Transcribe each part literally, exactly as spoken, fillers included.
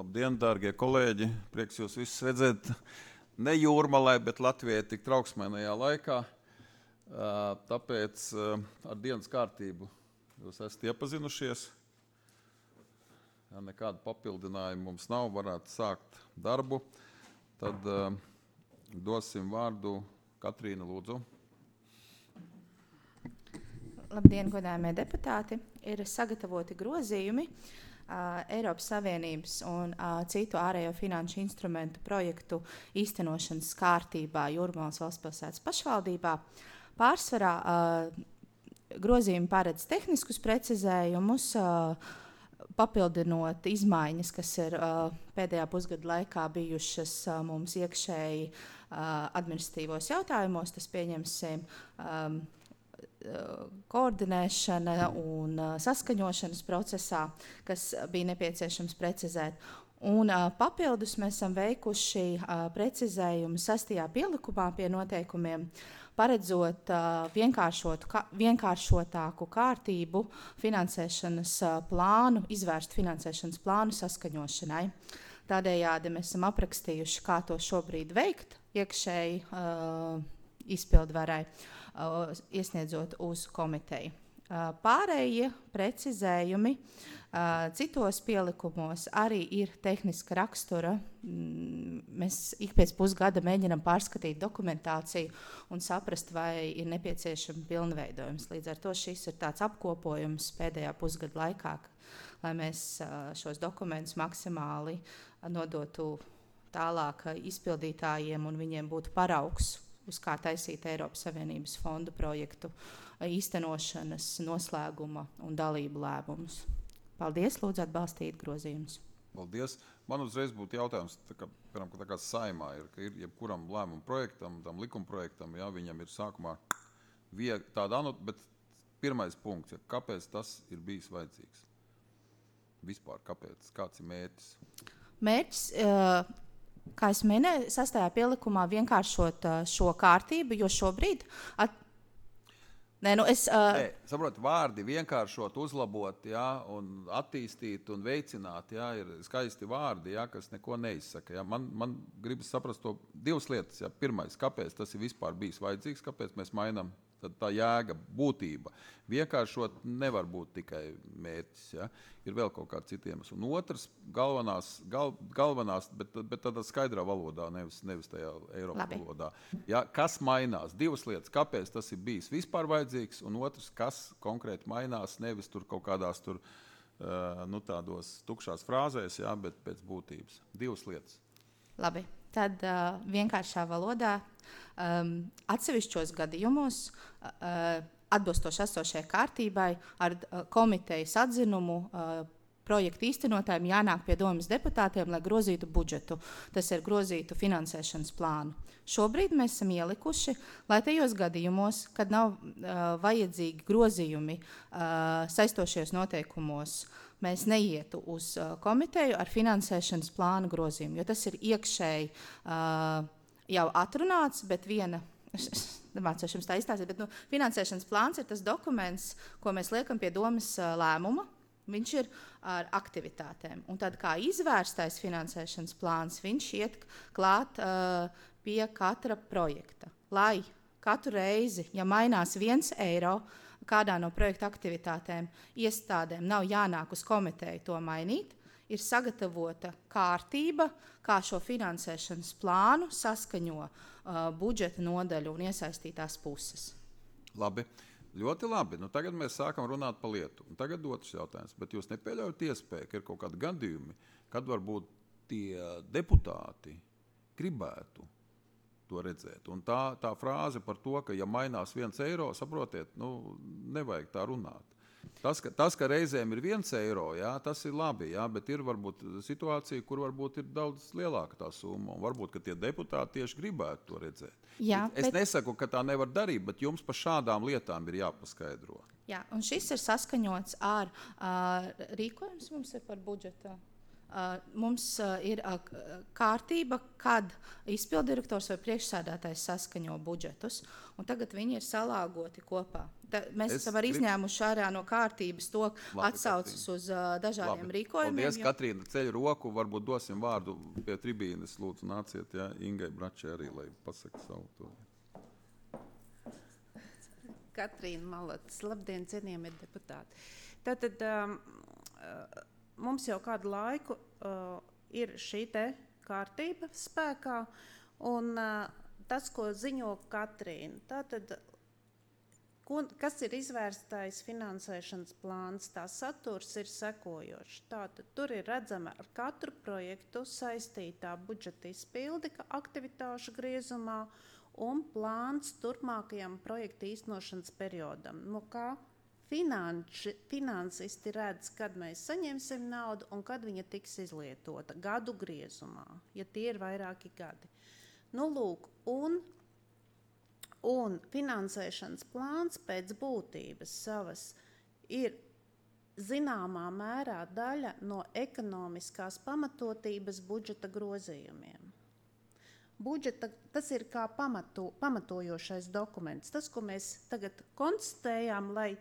Labdien, dārgie kolēģi! Prieks jūs visus redzēt ne Jūrmalē, bet Latvijai tik trauksmēnajā laikā. Tāpēc ar dienas kārtību jūs esat iepazinušies. Ja nekāda papildinājuma mums nav, varētu sākt darbu. Tad uh, dosim vārdu Katrīna, lūdzu. Labdien, godājumie deputāti! Ir sagatavoti grozījumi uh, Eiropas Savienības un uh, citu ārējo finanšu instrumentu projektu īstenošanas kārtībā Jūrmalas valstspilsētas pašvaldībā. Pārsvarā uh, grozījumi paredz tehniskus precizējumus, uh, papildinot izmaiņas, kas ir uh, pēdējā pusgada laikā bijušas uh, mums iekšēji uh, administratīvos jautājumos. Tas pieņemsim um, koordinēšana un uh, saskaņošanas procesā, kas bija nepieciešams precizēt. Un uh, papildus mēs esam veikuši uh, precizējumu sastajā pielikumā pie noteikumiem, paredzot uh, vienkāršotu, ka, vienkāršotāku kārtību finansēšanas uh, plānu, izvērst finansēšanas plānu saskaņošanai. Tādējādi mēs esam aprakstījuši, kā to šobrīd veikt iekšēji uh, izpildvarai, uh, iesniedzot uz komiteju. Uh, pārējie precizējumi uh, citos pielikumos arī ir tehniska rakstura. Mm, mēs ik pēc pusgada mēģinam pārskatīt dokumentāciju un saprast, vai ir nepieciešama pilnveidojums. Līdz ar to šis ir tāds apkopojums pēdējā pusgada laikā, lai mēs uh, šos dokumentus maksimāli nodotu tālāk izpildītājiem un viņiem būtu paraugs, uz kā taisīt Eiropas Savienības fondu projektu īstenošanas, noslēguma un dalību lēmumus. Paldies, lūdzu atbalstīt grozījumus. Paldies. Man uzreiz būtu jautājums, tā kā, piemēram, tā kā saimā ir, ka ir jebkuram lēmumu projektam, tam likuma projektam, jā, viņam ir sākumā vieg, tāda, bet pirmais punkts, ja, kāpēc tas ir bijis vajadzīgs? Vispār, kāpēc? Kāds ir mērķis? Mērķis, uh, kā es minēju, sastajā pielikumā vienkāršot uh, šo kārtību, jo šobrīd... At... Nē, nu es... Uh... Nē, saprot, vārdi vienkāršot, uzlabot, jā, un attīstīt un veicināt, jā, ir skaisti vārdi, jā, kas neko neizsaka. Jā. Man, man gribas saprast to divas lietas. Jā. Pirmais, kāpēc tas ir vispār bijis vajadzīgs, kāpēc mēs mainām tad tā jēga, būtība. Vienkāršot nevar būt tikai mērķis, ja? Ir vēl kaut kāds citiem. Un otrs, galvenās, gal, galvenās bet, bet tādā skaidrā valodā, nevis, nevis tajā Eiropas Labi. valodā. Ja? Kas mainās? Divas lietas, kāpēc tas ir bijis vispār vajadzīgs, un otrs, kas konkrēti mainās, nevis tur kaut kādās tur, uh, nu, tādos tukšās frāzēs, ja? Bet pēc būtības. Divas lietas. Labi. Tad uh, vienkāršā valodā um, atsevišķos gadījumos uh, atbilstoši esošajai kārtībai ar uh, komitejas atzinumu uh, projektu īstenotājiem jānāk pie domes deputātiem, lai grozītu budžetu. Tas ir grozītu finansēšanas plānu. Šobrīd mēs esam ielikuši, lai tajos gadījumos, kad nav uh, vajadzīgi grozījumi uh, saistošajos noteikumos, mēs neietu uz uh, komiteju ar finansēšanas plānu grozījumu, jo tas ir iekšēji uh, jau atrunāts, bet viena, es nemācošu jums tā izstāstīt, bet nu, finansēšanas plāns ir tas dokuments, ko mēs liekam pie domes uh, lēmuma. Viņš ir ar aktivitātēm. Un tad kā izvērstais finansēšanas plāns, viņš iet klāt uh, pie katra projekta. Lai katru reizi, ja mainās viens eiro, kādā no projekta aktivitātēm iestādēm nav jānāk uz komiteju to mainīt, ir sagatavota kārtība, kā šo finansēšanas plānu saskaņo uh, budžeta nodaļu un iesaistītās puses. Labi. Ļoti labi. Nu, tagad mēs sākam runāt par lietu. Un tagad otrs jautājums. Bet jūs nepieļaujat iespēju, ka ir kaut kādi gadījumi, kad varbūt tie deputāti gribētu to redzēt. Un tā, tā frāze par to, ka ja mainās viens eiro, saprotiet, nu, nevajag tā runāt. Tas, ka, tas, ka reizēm ir viens eiro, jā, tas ir labi, jā, bet ir varbūt situācija, kur varbūt ir daudz lielāka tā summa. Un varbūt, ka tie deputāti tieši gribētu to redzēt. Jā, es bet... nesaku, ka tā nevar darīt, bet jums par šādām lietām ir jāpaskaidro. Jā, un šis ir saskaņots ar uh, rīkojums mums ir par budžetu. Uh, mums uh, ir uh, kārtība, kad izpildirektors vai priekšsēdētājs saskaņo budžetus, un tagad viņi ir salāgoti kopā. ta, mēs Es esam arī grib- izņēmuši ārā no kārtības to Labi, atsaucas Katrīna. uz uh, dažādiem Labi. rīkojumiem. Paldies, jo- Katrīna, ceļ roku, varbūt dosim vārdu pie tribīnes, lūdzu, nāciet, ja, Ingai Bračē arī, lai pasaka savu to. Katrīna Malacis, labdien, cienījamie deputāti. Tātad um, uh, mums jau kādu laiku uh, ir šī te kārtība spēkā, un uh, tas, ko ziņo Katrīna, tātad, ko, kas ir izvērstais finansēšanas plāns, tā saturs ir sekojošs. Tātad tur ir redzama ar katru projektu saistītā budžeta izpildi aktivitāšu griezumā, un plāns turpmākajam projekta īstenošanas periodam. Nu, kā finanši, finansisti redz, kad mēs saņemsim naudu un kad viņa tiks izlietota gadu griezumā, ja tie ir vairāki gadi. Nu, lūk, un, un finansēšanas plāns pēc būtības savas ir zināmā mērā daļa no ekonomiskās pamatotības budžeta grozījumiem. Budžeta, tas ir kā pamato, pamatojošais dokuments. Tas, ko mēs tagad konstatējām, lai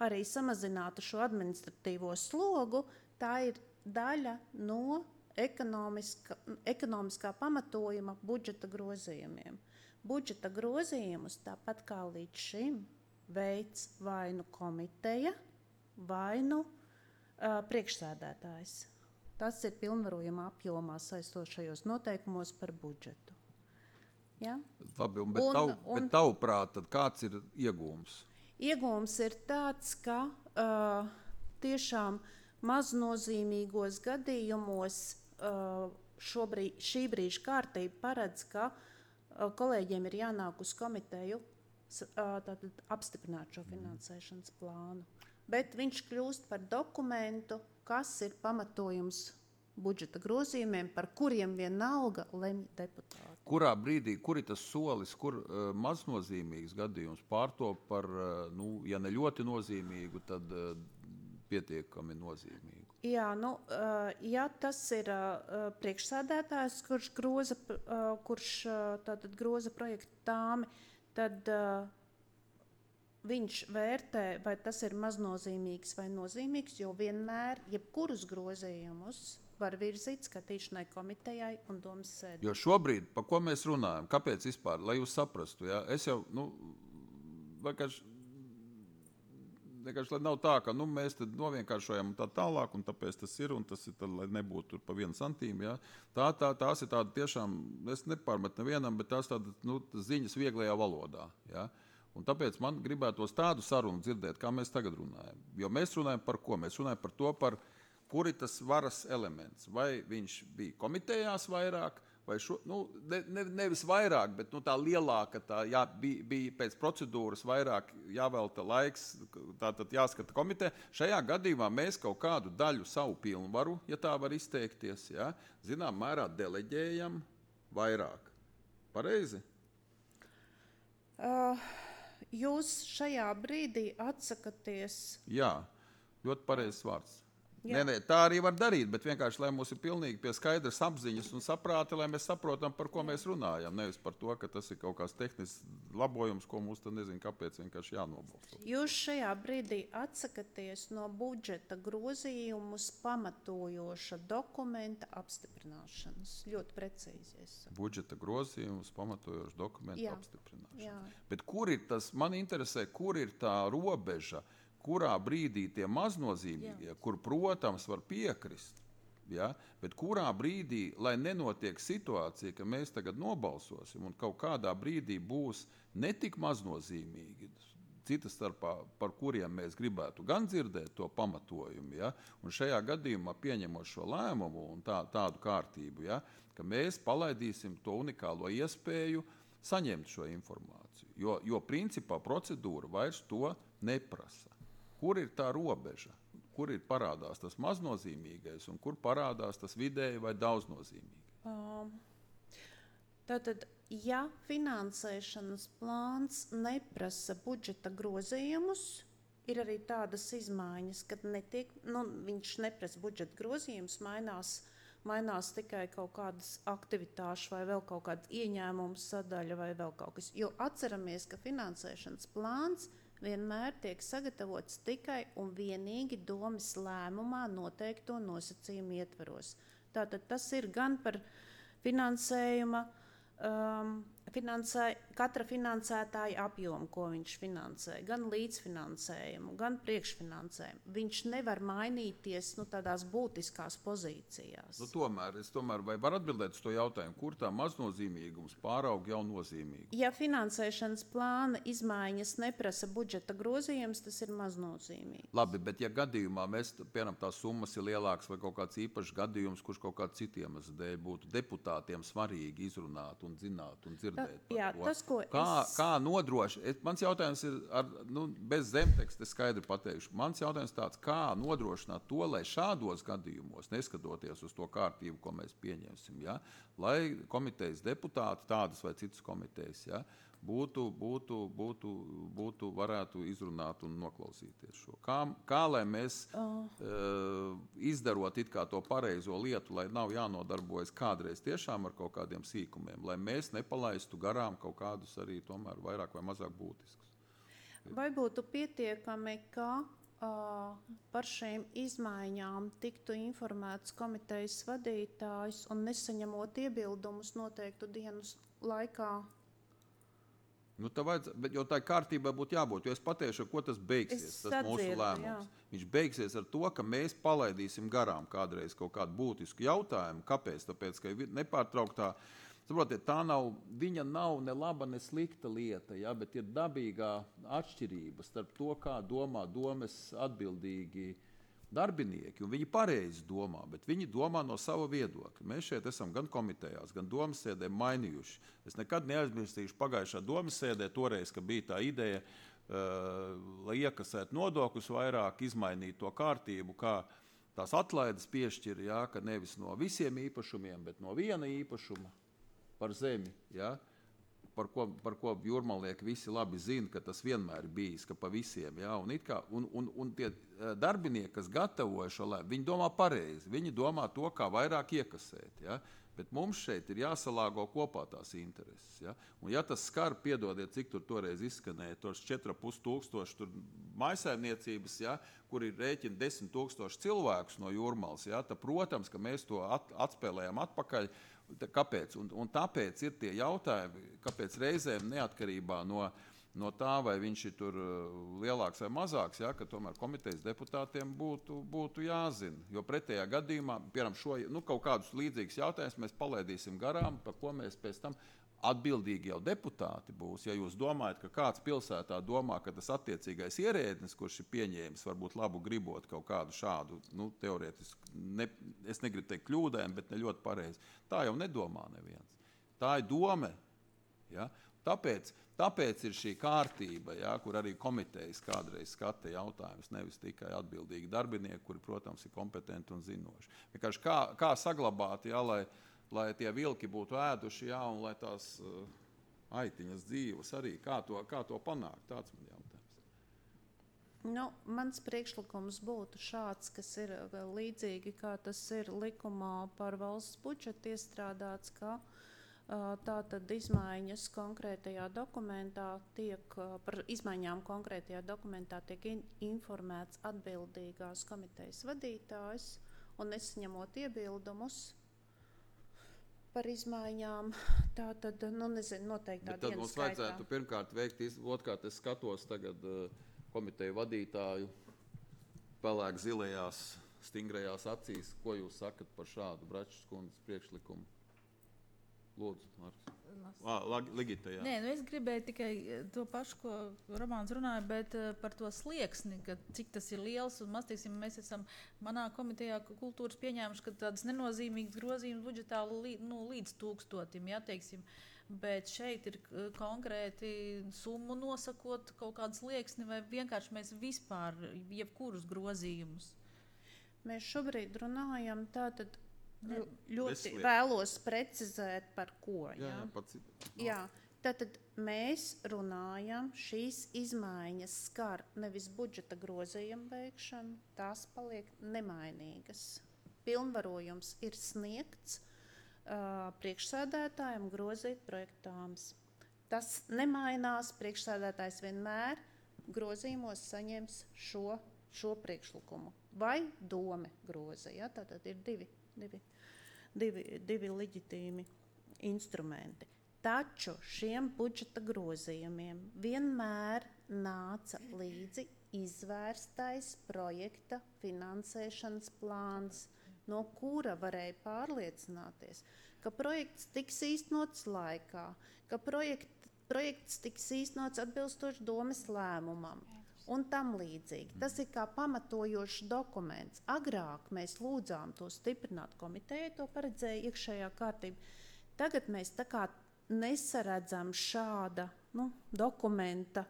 arī samazinātu šo administratīvo slogu, tā ir daļa no ekonomiska, ekonomiskā pamatojuma budžeta grozījumiem. Budžeta grozījumus, tāpat kā līdz šim, veids vai nu komiteja, vai nu uh, priekšsēdētājs. Tas ir pilnvarojuma apjomā saistošajos noteikumos par budžetu. Ja? Labi, un, bet, Un- tav, un- bet tavuprāt, tad kāds ir iegūms? Iegūms ir tāds, ka uh, tiešām maznozīmīgos gadījumos uh, šobrīd, šī brīža kārtība paredz, ka uh, kolēģiem ir jānāk uz komiteju s- uh, tātad apstiprināt šo finansēšanas plānu. Bet viņš kļūst par dokumentu, kas ir pamatojums budžeta grozījumiem, par kuriem vienalga lemj deputāti. Kurā brīdī, kur ir tas solis, kur uh, maznozīmīgs gadījums pārtop par, uh, nu, ja ne ļoti nozīmīgu, tad uh, pietiekami nozīmīgu? Jā, nu, uh, ja tas ir uh, priekšsēdētājs, kurš groza, uh, kurš uh, tātad groza projektu tāmi, tad uh, viņš vērtē, vai tas ir maznozīmīgs vai nozīmīgs, jo vienmēr jebkurus grozījumus var virzīt skatīšanai komitejai un domas sēdē. Jo šobrīd, par ko mēs runājam, kāpēc vispār, lai jūs saprastu, ja? Es jau, nu, vienkārši, vienkārši, lai nav tā, ka nu, mēs tad novienkāršojam un tā tālāk, un tāpēc tas ir, un tas ir, tad, lai nebūtu tur pa vienu santīmu, ja? Tā, tā, tās ir tāda tiešām, es nepārmetu nevienam, bet tās tāda, nu, ziņas vieglajā valodā, ja? Un tāpēc man gribētos tādu sarunu dzirdēt, kā mēs tagad runājam. Jo mēs runājam par ko? Mēs runājam par to, par kur ir tas varas elements. Vai viņš bija komitejās vairāk, vai šo, nu, ne, ne, nevis vairāk, bet nu, tā lielāka, tā jā, bija, bija pēc procedūras vairāk jāvelta laiks, tātad jāskata komiteja. Šajā gadījumā mēs kaut kādu daļu savu pilnvaru, ja tā var izteikties, ja, zinām mērā deleģējam vairāk. Pareizi? Uh, jūs šajā brīdī atsakaties. Jā, ļoti pareizs vārds. Jā. Nē, nē, tā arī var darīt, bet vienkārši, lai mums ir pilnīgi pie skaidras apziņas un saprāti, lai mēs saprotam, par ko mēs runājam. Nevis par to, ka tas ir kaut kāds tehnisks labojums, ko mums tad nezinu, kāpēc vienkārši jānobalso. Jūs šajā brīdī atsakaties no budžeta grozījumus pamatojoša dokumenta apstiprināšanas. Ļoti precīzi. Es saku. Budžeta grozījumus pamatojošu dokumentu Jā. apstiprināšanu. Jā. Bet kur ir tas, man interesē, kur ir tā robeža, kurā brīdī tie maznozīmīgie, Jā. kur, protams, var piekrist, ja? Bet kurā brīdī, lai nenotiek situācija, ka mēs tagad nobalsosim un kaut kādā brīdī būs netik maznozīmīgi, citas starpā, par kuriem mēs gribētu gan dzirdēt to pamatojumu, ja? Un šajā gadījumā pieņemot šo lēmumu un tā, tādu kārtību, ja? Ka mēs palaidīsim to unikālo iespēju saņemt šo informāciju, jo, jo principā procedūra vairs to neprasa. Kur ir tā robeža? Kur ir parādās tas maznozīmīgais un kur parādās tas vidēji vai daudznozīmīgais? Um, tātad, ja finansēšanas plāns neprasa budžeta grozījumus, ir arī tādas izmaiņas, kad netiek, nu, viņš neprasa budžeta grozījumus, mainās, mainās tikai kaut kādas aktivitāšu vai vēl kaut kāda ieņēmuma sadaļa vai vēl kaut kas. Jo atceramies, ka finansēšanas plāns vienmēr tiek sagatavots tikai un vienīgi domes lēmumā noteikto nosacījumu ietvaros. Tātad tas ir gan par finansējuma, um, finansē, katra finansētāja apjomu, ko viņš finansē, gan līdzfinansējumu, gan priekšfinansējumu. Viņš nevar mainīties nu, tādās būtiskās pozīcijās. Nu, tomēr, es tomēr vai var atbildēt uz to jautājumu, kur tā maznozīmīgums pāraug jau nozīmīgi? Ja finansēšanas plāna izmaiņas neprasa budžeta grozījums, tas ir maznozīmīgi. Labi, bet ja gadījumā mēs, piemēram, tās summas ir lielākas vai kaut kāds īpašs gadījums, kurš kaut kāds citiem dēļ būtu deputātiem svarīgi izrunāt un zināt un dzirdēt. Jā, tas, ko kā, es... kā nodrošināt? Mans jautājums ir ar, nu, bez zemteksta, es skaidri pateikšu. Mans jautājums tāds, kā nodrošināt to, lai šādos gadījumos, neskatoties uz to kārtību, ko mēs pieņemsim, ja, lai komitejas deputāti, tādas vai citas komitejas, ja, būtu, būtu, būtu, būtu varētu izrunāt un noklausīties šo. Kā, kā lai mēs oh. uh, izdarot it kā to pareizo lietu, lai nav jānodarbojas kādreiz tiešām ar kaut kādiem sīkumiem, lai mēs nepalaistu garām kaut kādus arī tomēr vairāk vai mazāk būtiskus. Vai būtu pietiekami, ka uh, par šīm izmaiņām tiktu informēts komitejas vadītājs un nesaņemot iebildumus noteiktu dienas laikā? Nu, tā vajadz, bet, jo tā kārtībai būtu jābūt, jo es pateikšu, ko tas beigsies, es tas mūsu atzirdu, lēmums. Jā. Viņš beigsies ar to, ka mēs palaidīsim garām kādreiz kaut kādu būtisku jautājumu. Kāpēc? Tāpēc, ka nepārtrauktā, saprotiet, tā nav, viņa nav ne laba, ne slikta lieta, ja, bet ir dabīgā atšķirība starp to, kā domā domes atbildīgi darbinieki, un viņi pareizi domā, bet viņi domā no sava viedokļa. Mēs šeit esam gan komitejās, gan domas sēdē mainījuši. Es nekad neaizmirstīšu pagājušā domas sēdē toreiz, ka bija tā ideja, uh, lai iekasētu nodokļus vairāk, izmainīt to kārtību, kā tās atlaides piešķir, ja, ka nevis no visiem īpašumiem, bet no viena īpašuma par zemi, ja, par ko, par ko jūrmalnieki visi labi zina, ka tas vienmēr ir bijis, ka pa visiem, ja, un, it kā, un, un, un tie darbinieki, kas gatavoja šo lēmumu, viņi domā pareizi, viņi domā to, kā vairāk iekasēt, ja, bet mums šeit ir jāsalāgo kopā tās intereses, ja, un ja tas skar, piedodiet, cik tur toreiz izskanēja, tos četri ar pus tūkstoši tur mājsaimniecības, ja, kur ir rēķina desmit tūkstoši cilvēkus no jūrmalas, ja, tad, protams, ka mēs to at, atspēlējam atpakaļ. Kāpēc? Un, un tāpēc ir tie jautājumi, kāpēc reizēm neatkarībā no, no tā, vai viņš ir tur lielāks vai mazāks, ja, ka tomēr komitejas deputātiem būtu, būtu jāzina. Jo pretējā gadījumā, piemēram, šo, nu, kaut kādus līdzīgus jautājumus mēs palaidīsim garām, par ko mēs pēc tam atbildīgi jau deputāti būs. Ja jūs domājat, ka kāds pilsētā domā, ka tas attiecīgais ierēdnis, kurš ir pieņēmis, varbūt labu gribot kaut kādu šādu, nu, teorētiski, ne, es negribu teikt kļūdēm, bet ne ļoti pareizi. Tā jau nedomā neviens. Tā ir doma. Ja? Tāpēc, tāpēc ir šī kārtība, ja, kur arī komitejas kādreiz skata jautājumus, nevis tikai atbildīgi darbinieki, kuri, protams, ir kompetenti un zinoši. Vienkārši kā, kā saglabāt, ja, lai lai tie vilki būtu ēduši, jā, un lai tās uh, aitiņas dzīves arī, kā to, kā to panākt, tāds man jautājums. Nu, mans priekšlikums būtu šāds, kas ir līdzīgi, kā tas ir likumā par valsts budžetu iestrādāts, ka uh, tātad izmaiņas konkrētajā dokumentā tiek, uh, par izmaiņām konkrētajā dokumentā tiek in, informēts atbildīgās komitejas vadītājs, un nesaņemot iebildumus par izmaiņām, tā tad, nu, nezinu, noteiktā dienas skaitā. Bet tad mums vajadzētu skaitā. pirmkārt veikt, otrkārt es skatos tagad uh, komiteju vadītāju pelēk zilajās, stingrajās acīs. Ko jūs sakat par šādu Bračs kundzes priekšlikumu? Lūdzu, Marks. Ah, Ligita, jā. Nē, nu es gribēju tikai to pašu, ko Romāns runāja, bet uh, par to slieksni, ka cik tas ir liels un maz, teiksim, mēs esam manā komitejā kultūras pieņēmuši, ka tādas nenozīmīgas grozījumas budžetā līdz, nu, līdz tūkstotim, jā, teiksim, bet šeit ir uh, konkrēti summu nosakot kaut kādu slieksni vai vienkārši mēs vispār jebkurus grozījumus. Mēs šobrīd runājam tātad Ne, ļoti Vesliet. vēlos precizēt, par ko. Jā, Jā, jā, pats, no. jā. Tātad mēs runājam, šīs izmaiņas skar nevis budžeta grozījumu veikšanu, tās paliek nemainīgas. Pilnvarojums ir sniegts uh, priekšsēdētājiem grozīt projektāms. Tas nemainās, priekšsēdētājs vienmēr grozījumos saņems šo, šo priekšlikumu. Vai dome groza. Ja? Tātad ir divi, divi, divi, divi leģitīmi instrumenti. Taču šiem budžeta grozījumiem vienmēr nāca līdzi izvērstais projekta finansēšanas plāns, no kura varēja pārliecināties, ka projekts tiks īstenots laikā, ka projekt, projekts tiks īstenots atbilstoši domes lēmumam un tam līdzīgi. Tas ir kā pamatojošs dokuments. Agrāk mēs lūdzām to stiprināt komitejai, to paredzēja iekšējā kārtība. Tagad mēs tā kā nesaredzam šāda nu, dokumenta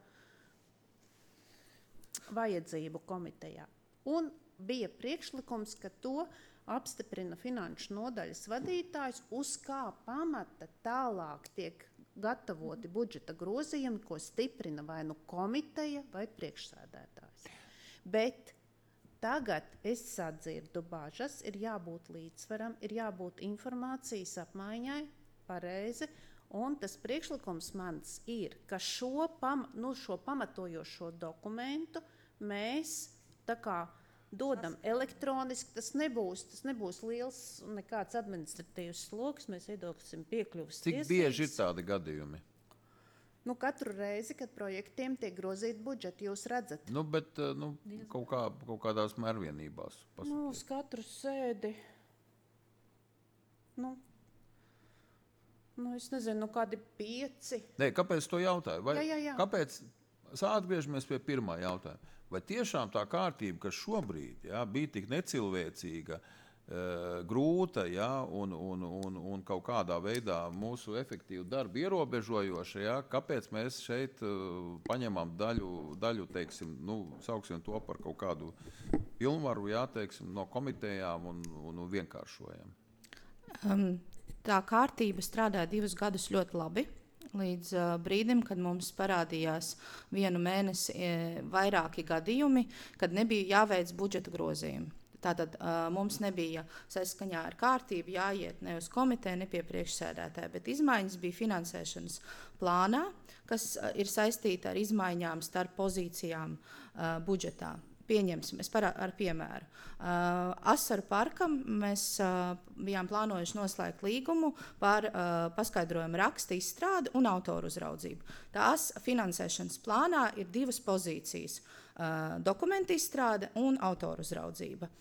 vajadzību komitejā. Un bija priekšlikums, ka to apstiprina finanšu nodaļas vadītājs, uz kā pamata tālāk tiek gatavoti budžeta grozījumi, ko stiprina vai nu komiteja vai priekšsēdētājs. Bet tagad es sadzirdu bažas, ir jābūt līdzsvaram, ir jābūt informācijas apmaiņai pareizi, un tas priekšlikums mans ir, ka šo, pam, nu, šo pamatojošo dokumentu mēs tā kā dodam elektroniski, tas nebūs, tas nebūs liels nekāds administratīvs sloks, mēs iedoksim piekļuvas tiesības. Cik bieži ir tādi gadījumi? Nu, katru reizi, kad projektiem tiek grozīt budžeti, jūs redzat. Nu, bet nu, kaut, kā, kaut kādās mērvienībās. Pasakīt. Nu, uz katru sēdi. Nu, nu, es nezinu, nu, kādi pieci. Nē, kāpēc to jautāju? Vai, jā, jā, jā. Kāpēc? Atgriežamies pie pirmā jautājuma. Vai tiešām tā kārtība, kas šobrīd jā, bija tik necilvēcīga, e, grūta jā, un, un, un, un kaut kādā veidā mūsu efektīvu darbu ierobežojoša, jā, kāpēc mēs šeit e, paņemam daļu, daļu teiksim, nu, sauksim to par kaut kādu pilnvaru, jā, teiksim, no komitejām un, un, un vienkāršojam? Um, tā kārtība strādā divus gadus ļoti labi. Līdz uh, brīdim, kad mums parādījās vienu mēnesi e, vairāki gadījumi, kad nebija jāveic budžeta grozījumi. Tātad uh, mums nebija saskaņā ar kārtību jāiet ne uz komiteju, ne pie priekšsēdētāja, bet izmaiņas bija finansēšanas plānā, kas uh, ir saistīta ar izmaiņām starp pozīcijām uh, budžetā. Pieņemsim, es parā, ar piemēru. Uh, Asaru parkam mēs uh, bijām plānojuši noslēgt līgumu par uh, paskaidrojumu raksta izstrādi un autoru uzraudzību. Tās finansēšanas plānā ir divas pozīcijas uh, - dokumenta izstrāde un autoru uzraudzība.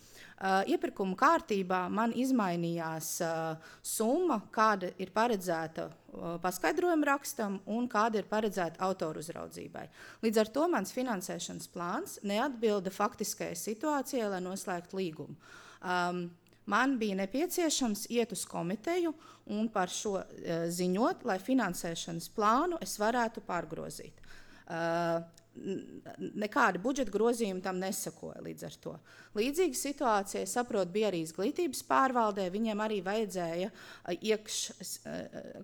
Uh, iepirkuma kārtībā man izmainījās uh, summa, kāda ir paredzēta uh, paskaidrojumu rakstam un kāda ir paredzēta autoru uzraudzībai. Līdz ar to mans finansēšanas plāns neatbilda faktiskajai situācijai, lai noslēgtu līgumu. Um, man bija nepieciešams iet uz komiteju un par šo uh, ziņot, lai finansēšanas plānu es varētu pārgrozīt. Uh, Nekādi budžeta grozījumi tam nesakoja līdz ar to. Līdzīga situācija, es saprotu, bija arī izglītības pārvaldē, viņiem arī vajadzēja iekš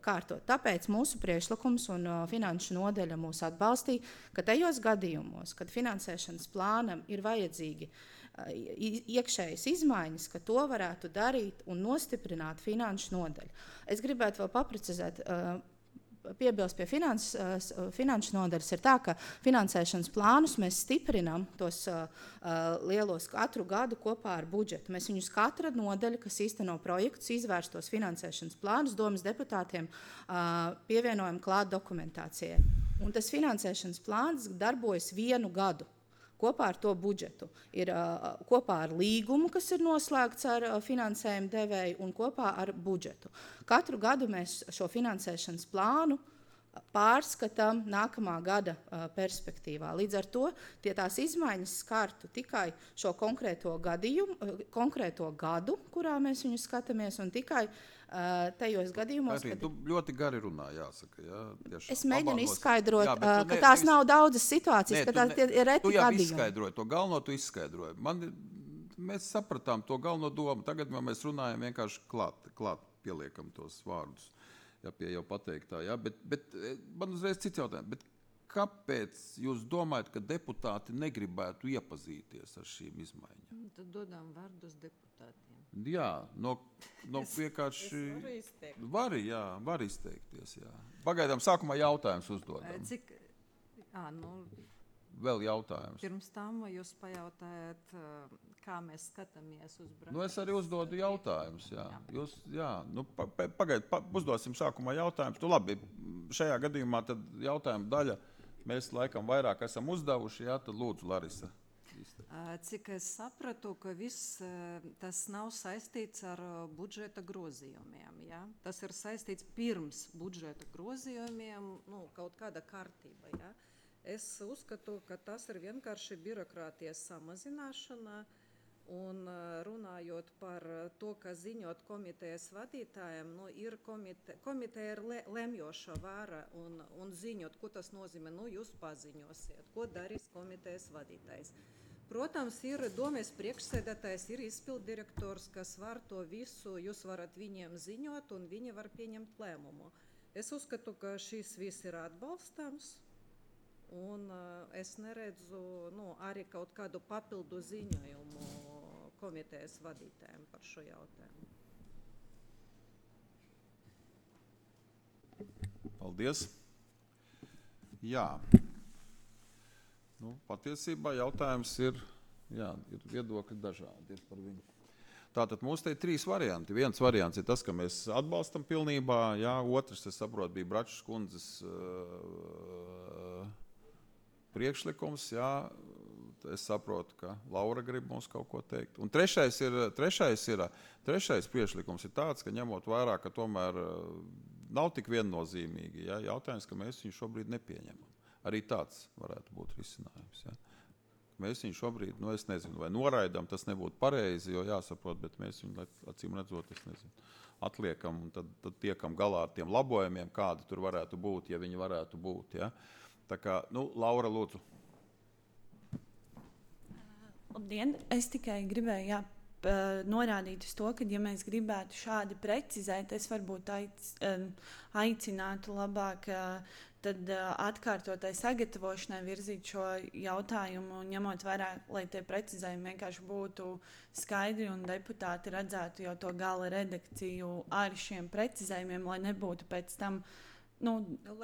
kārtot. Tāpēc mūsu priekšlikums un finanšu nodeļa mūs atbalstīja, ka tajos gadījumos, kad finansēšanas plānam ir vajadzīgi iekšējas izmaiņas, ka to varētu darīt un nostiprināt finanšu nodeļu. Es gribētu vēl paprecizēt, piebilst pie finans, finanšu nodaļas ir tā, ka finansēšanas plānus mēs stiprinām tos uh, lielos katru gadu kopā ar budžetu. Mēs viņus katra nodaļa, kas īsteno projektus, izvērstos finansēšanas plānus, domas deputātiem uh, pievienojam klāt dokumentācijai. Un tas finansēšanas plāns darbojas vienu gadu. Kopā ar to budžetu ir uh, kopā ar līgumu, kas ir noslēgts ar uh, finansējumu devēju, un kopā ar budžetu. Katru gadu mēs šo finansēšanas plānu pārskatām nākamā gada uh, perspektīvā. Līdz ar to tie tās izmaiņas skartu tikai šo konkrēto gadījumu, uh, konkrēto gadu, kurā mēs viņu skatāmies, un tikai uh, tajos gadījumos, Arī, kad... Tu ļoti gari runā, jāsaka. Jā, tiešām. Es mēģinu Abānos... izskaidrot, jā, uh, ka ne, tās ne, nav daudzas situācijas, ne, ka tās ne, ir reti tu jau gadījumi. izskaidroji, to galveno tu izskaidroji. Man, mēs sapratām to galveno domu, tagad mēs runājam vienkārši klāt, klāt pieliekam tos vārdus. Jā, pie jau pateiktā, jā, bet, bet man uzreiz cits jautājums, bet kāpēc jūs domājat, ka deputāti negribētu iepazīties ar šīm izmaiņām? Tad dodām vārdus deputātiem. Jā, no, no vienkārši... Es varu izteikt. Vari, jā, var izteikties, jā. Pagaidām sākumā jautājums uzdodam. Cik, ā, nu, vēl jautājums? Pirms tam jūs pajautājat, kā mēs skatāmies uz Braču. Nu, es arī uzdodu jautājumus. Jā. Jūs, jā, nu, pa, pa, pagaid, pa, uzdosim sākumā jautājumus. Nu, labi, šajā gadījumā tad jautājuma daļa mēs laikam vairāk esam uzdevuši. Jā, tad lūdzu, Larisa. Cik es sapratu, ka viss tas nav saistīts ar budžeta grozījumiem. Ja? Tas ir saistīts pirms budžeta grozījumiem, nu, kaut kāda kārtība. Ja? Es uzskatu, ka tas ir vienkārši birokrātijas samazināšana. Un runājot par to, ka ziņot komitejas vadītājiem, nu, ir komite, komiteja ir le, lemjoša vara un, un ziņot, ko tas nozīmē, nu, jūs paziņosiet, ko darīs komitejas vadītājs. Protams, ir domes priekšsēdētājs, ir izpilddirektors, kas var to visu, jūs varat viņiem ziņot un viņi var pieņemt lēmumu. Es uzskatu, ka šis viss ir atbalstams un uh, es neredzu nu, arī kaut kādu papildu ziņojumu komitejas vadītājiem par šo jautājumu. Paldies. Jā. Nu, patiesībā jautājums ir, jā, ir viedokļi dažādi ir par viņu. Tātad mums te ir trīs varianti. Viens variants ir tas, ka mēs atbalstam pilnībā, jā, otrs, es saprotu, bija Bračas kundzes uh, priekšlikums, jā, es saprotu, ka Laura grib mums kaut ko teikt. Un trešais ir, trešais ir, trešais priekšlikums ir tāds, ka ņemot vērā, ka tomēr uh, nav tik viennozīmīgi, jā, jautājums, ka mēs viņu šobrīd nepieņemam. Arī tāds varētu būt risinājums. Ja. Mēs viņu šobrīd, nu es nezinu, vai noraidam, tas nebūtu pareizi, jo jāsaprot, bet mēs viņu, acīm redzot, es nezinu, atliekam un tad, tad tiekam galā ar tiem labojumiem, kādi tur varētu būt, ja viņi varētu būt. Ja. Tā kā, nu, Laura, lūdzu. Labdien, es tikai gribēju, jā, norādīt uz to, ka, ja mēs gribētu šādi precizēt, es varbūt aic, aicinātu labāk tad atkārtotai sagatavošanai virzīt šo jautājumu, ņemot vērā, lai tie precizējumi vienkārši būtu skaidri un deputāti redzētu jau to gala redakciju ar šiem precizējumiem, lai nebūtu pēc tam nu,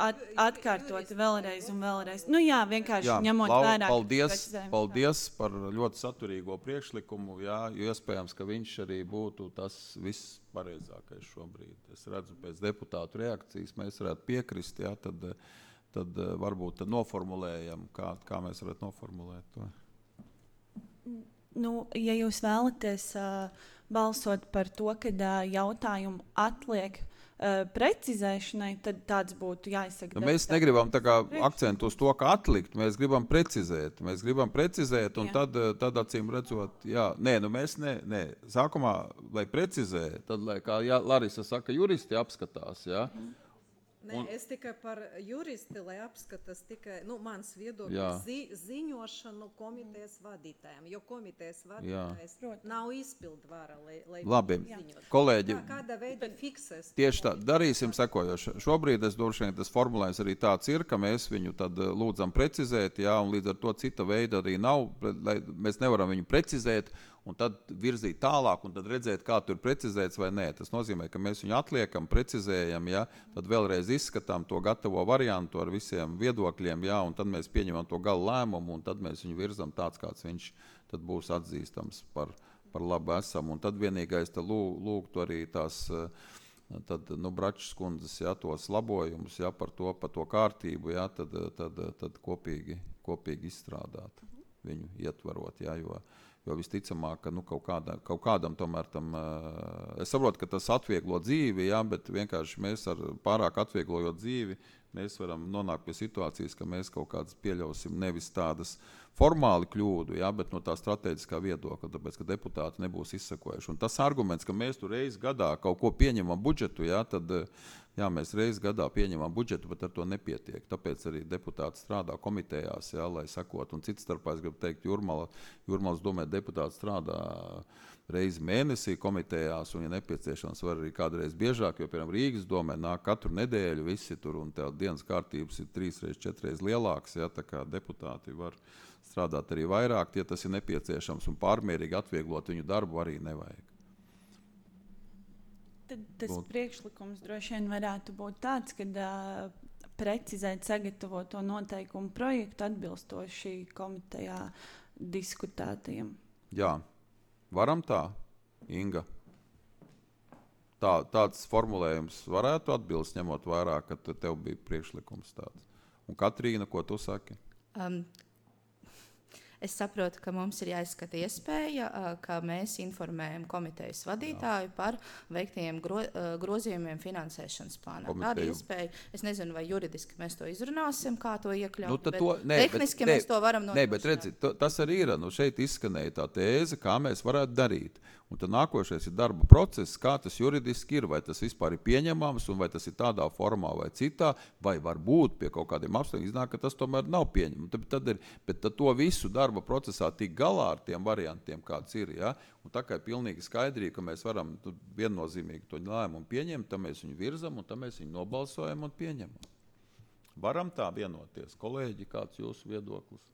at, atkārtoti vēlreiz un vēlreiz. Nu jā, vienkārši jā, ņemot Laura, vērā. Paldies, paldies par ļoti saturīgo priekšlikumu, jā, jo iespējams, ka viņš arī būtu tas viss pareizākais šobrīd. Es redzu pēc deputātu reakcijas, mēs varētu piekrist, jā, tad, tad varbūt tad noformulējam, kā, kā mēs varētu noformulēt to. Nu, ja jūs vēlaties uh, balsot par to, kad uh, jautājumu atliek Uh, precizēšanai, tad tāds būtu jāizsaka. Nu, mēs negribam tā kā akcentu uz to, ka atlikt, mēs gribam precizēt. Mēs gribam precizēt un jā. tad, tad acīm redzot, jā, nē, nu mēs ne, nē, sākumā, lai precizē, tad, lai, kā jā, Larisa saka, juristi apskatās, jā. Mm. Nē, un, es tikai par juristi, lai apskatās tikai, nu, mans viedoklis zi, ziņošanu komitejas vadītājiem, jo komitejas vadītājs jā. nav izpildvara, lai, lai labi, ziņot. Kolēģi, kā, kāda veida fiksēs? Tieši tā, darīsim sekojoši. Šobrīd es droši vien tas formulējums arī tāds ir, ka mēs viņu tad lūdzam precizēt, jā, un līdz ar to cita veida arī nav, lai mēs nevaram viņu precizēt, un tad virzīt tālāk, un tad redzēt, kā tur precizēts vai nē. Tas nozīmē, ka mēs viņu atliekam, precizējam, ja, tad vēlreiz izskatām to gatavo variantu ar visiem viedokļiem, ja, un tad mēs pieņemam to galu lēmumu, un tad mēs viņu virzam tāds, kāds viņš tad būs atzīstams par, par labu esam. Un tad vienīgais tad lūgtu arī tās tad, nu, Bračas kundzes, ja, tos labojumus, ja, par to, par to kārtību, ja, tad, tad, tad kopīgi, kopīgi izstrādāt viņu ietvarot, ja, jo Jo visticamāk, ka nu, kaut, kādā, kaut kādam tomēr tam, uh, es saprotu, ka tas atvieglo dzīvi, jā, bet vienkārši mēs ar pārāk atvieglojot dzīvi, mēs varam nonākt pie situācijas, ka mēs kaut kādas pieļausim nevis tādas formāli kļūdu, jā, bet no tā strateģiskā viedokļa, tāpēc, ka deputāti nebūs izsakojuši. Un tas arguments, ka mēs tur reiz gadā kaut ko pieņemam budžetu, jā, tad jā, mēs reiz gadā pieņemam budžetu, bet ar to nepietiek. Tāpēc arī deputāti strādā komitejās, jā, lai sakot. Un cits starpā es gribu teikt, Jurmala, Jurmalas domē deputāti strādā reizi mēnesī komitejās, un ja nepieciešams var arī kādreiz biežāk, jo, piemēram, Rīgas domē nāk katru nedēļu visi tur, un tā dienas kārtības ir trīs reiz, četreiz lielāks, jā, tā kā deputāti var strādāt arī vairāk, ja tas ir nepieciešams, un pārmērīgi atvieglot viņu darbu arī nevajag. Tad tas būt. Priekšlikums droši vien varētu būt tāds, ka uh, precizēt sagatavoto noteikumu projektu atbilstoši komitejā diskutētajiem. Jā, varam tā, Inga. Tā, tāds formulējums varētu atbilst, ņemot vērā, ka tev bija priekšlikums tāds. Un Katrīna, ko tu saki? Um, Es saprotu, ka mums ir jāizskata iespēja, ka mēs informējam komitejas vadītāju Jā. par veiktajiem gro, grozījumiem finansēšanas plānā. Tāda iespēja, es nezinu, vai juridiski mēs to izrunāsim, kā to iekļaut, nu, bet to, ne, tehniski bet, mēs ne, to varam nodrošināt. Nē, bet redzi, to, tas arī ir, nu šeit izskanēja tā tēze, kā mēs varētu darīt. Un tad nākošais ir darba process, kā tas juridiski ir, vai tas vispār ir pieņemams, un vai tas ir tādā formā vai citā, vai varbūt pie kaut kādiem apstākļiem iznāk, ka tas tomēr nav pieņemams. Tad, tad ir, bet tad to visu darba procesā tik galā ar tiem variantiem, kāds ir, ja? Un tā kā ir pilnīgi skaidrība, ka mēs varam tu, viennozīmīgi to lēmumu pieņemt, tad mēs viņu virzam, un tad mēs viņu nobalsojam un pieņemam. Varam tā vienoties. Kolēģi, kāds jūsu viedoklis?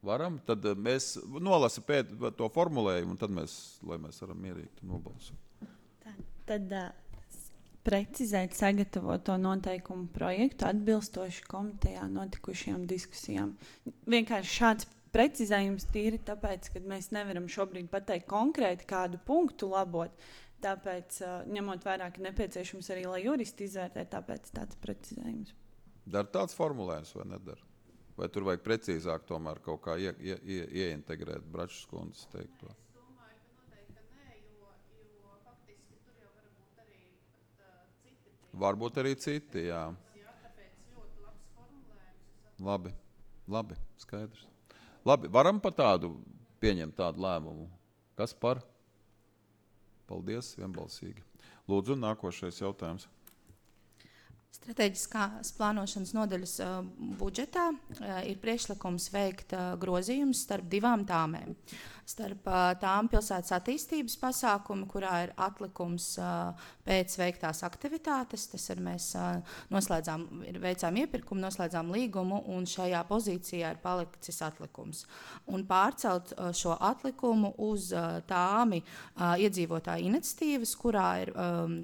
Varam, tad mēs nolasa pēc to formulējumu, un tad mēs, lai mēs varam mierīgi nobalsot. Tad, tad uh, precizēt sagatavoto noteikumu projektu atbilstoši komitejā notikušajām diskusijām. Vienkārši šāds precizējums tīri tāpēc, ka mēs nevaram šobrīd pateikt konkrēti kādu punktu labot, tāpēc, uh, ņemot vērā, ka nepieciešams arī, lai juristi izvērtē, tāpēc tāds precizējums. Dar tāds formulējums vai nedara? Vai tur vajag precīzāk tomēr kaut kā ie, ie, ie, ieintegrēt Bračas kundzes teikto? Es domāju, ka noteikti nē, jo, jo faktiski tur jau var būt arī pat, uh, citi. Varbūt arī citi, jā. Jā, tāpēc ļoti labs formulējums. Labi, labi, skaidrs. Labi, varam pa tādu pieņemt tādu lēmumu. Kas par? Paldies, vienbalsīgi. Lūdzu, nākošais jautājums. Stratēģiskās plānošanas nodaļas uh, budžetā uh, ir priekšlikums veikt uh, grozījumus starp divām tāmēm. Starp uh, tām pilsētas attīstības pasākumu, kurā ir atlikums uh, pēc veiktās aktivitātes. Tas ir mēs uh, noslēdzām, ir veicām iepirkumu, noslēdzām līgumu, un šajā pozīcijā ir palicis atlikums. Un pārcelt uh, šo atlikumu uz uh, tāmi uh, iedzīvotāju iniciatīvas, kurā ir um,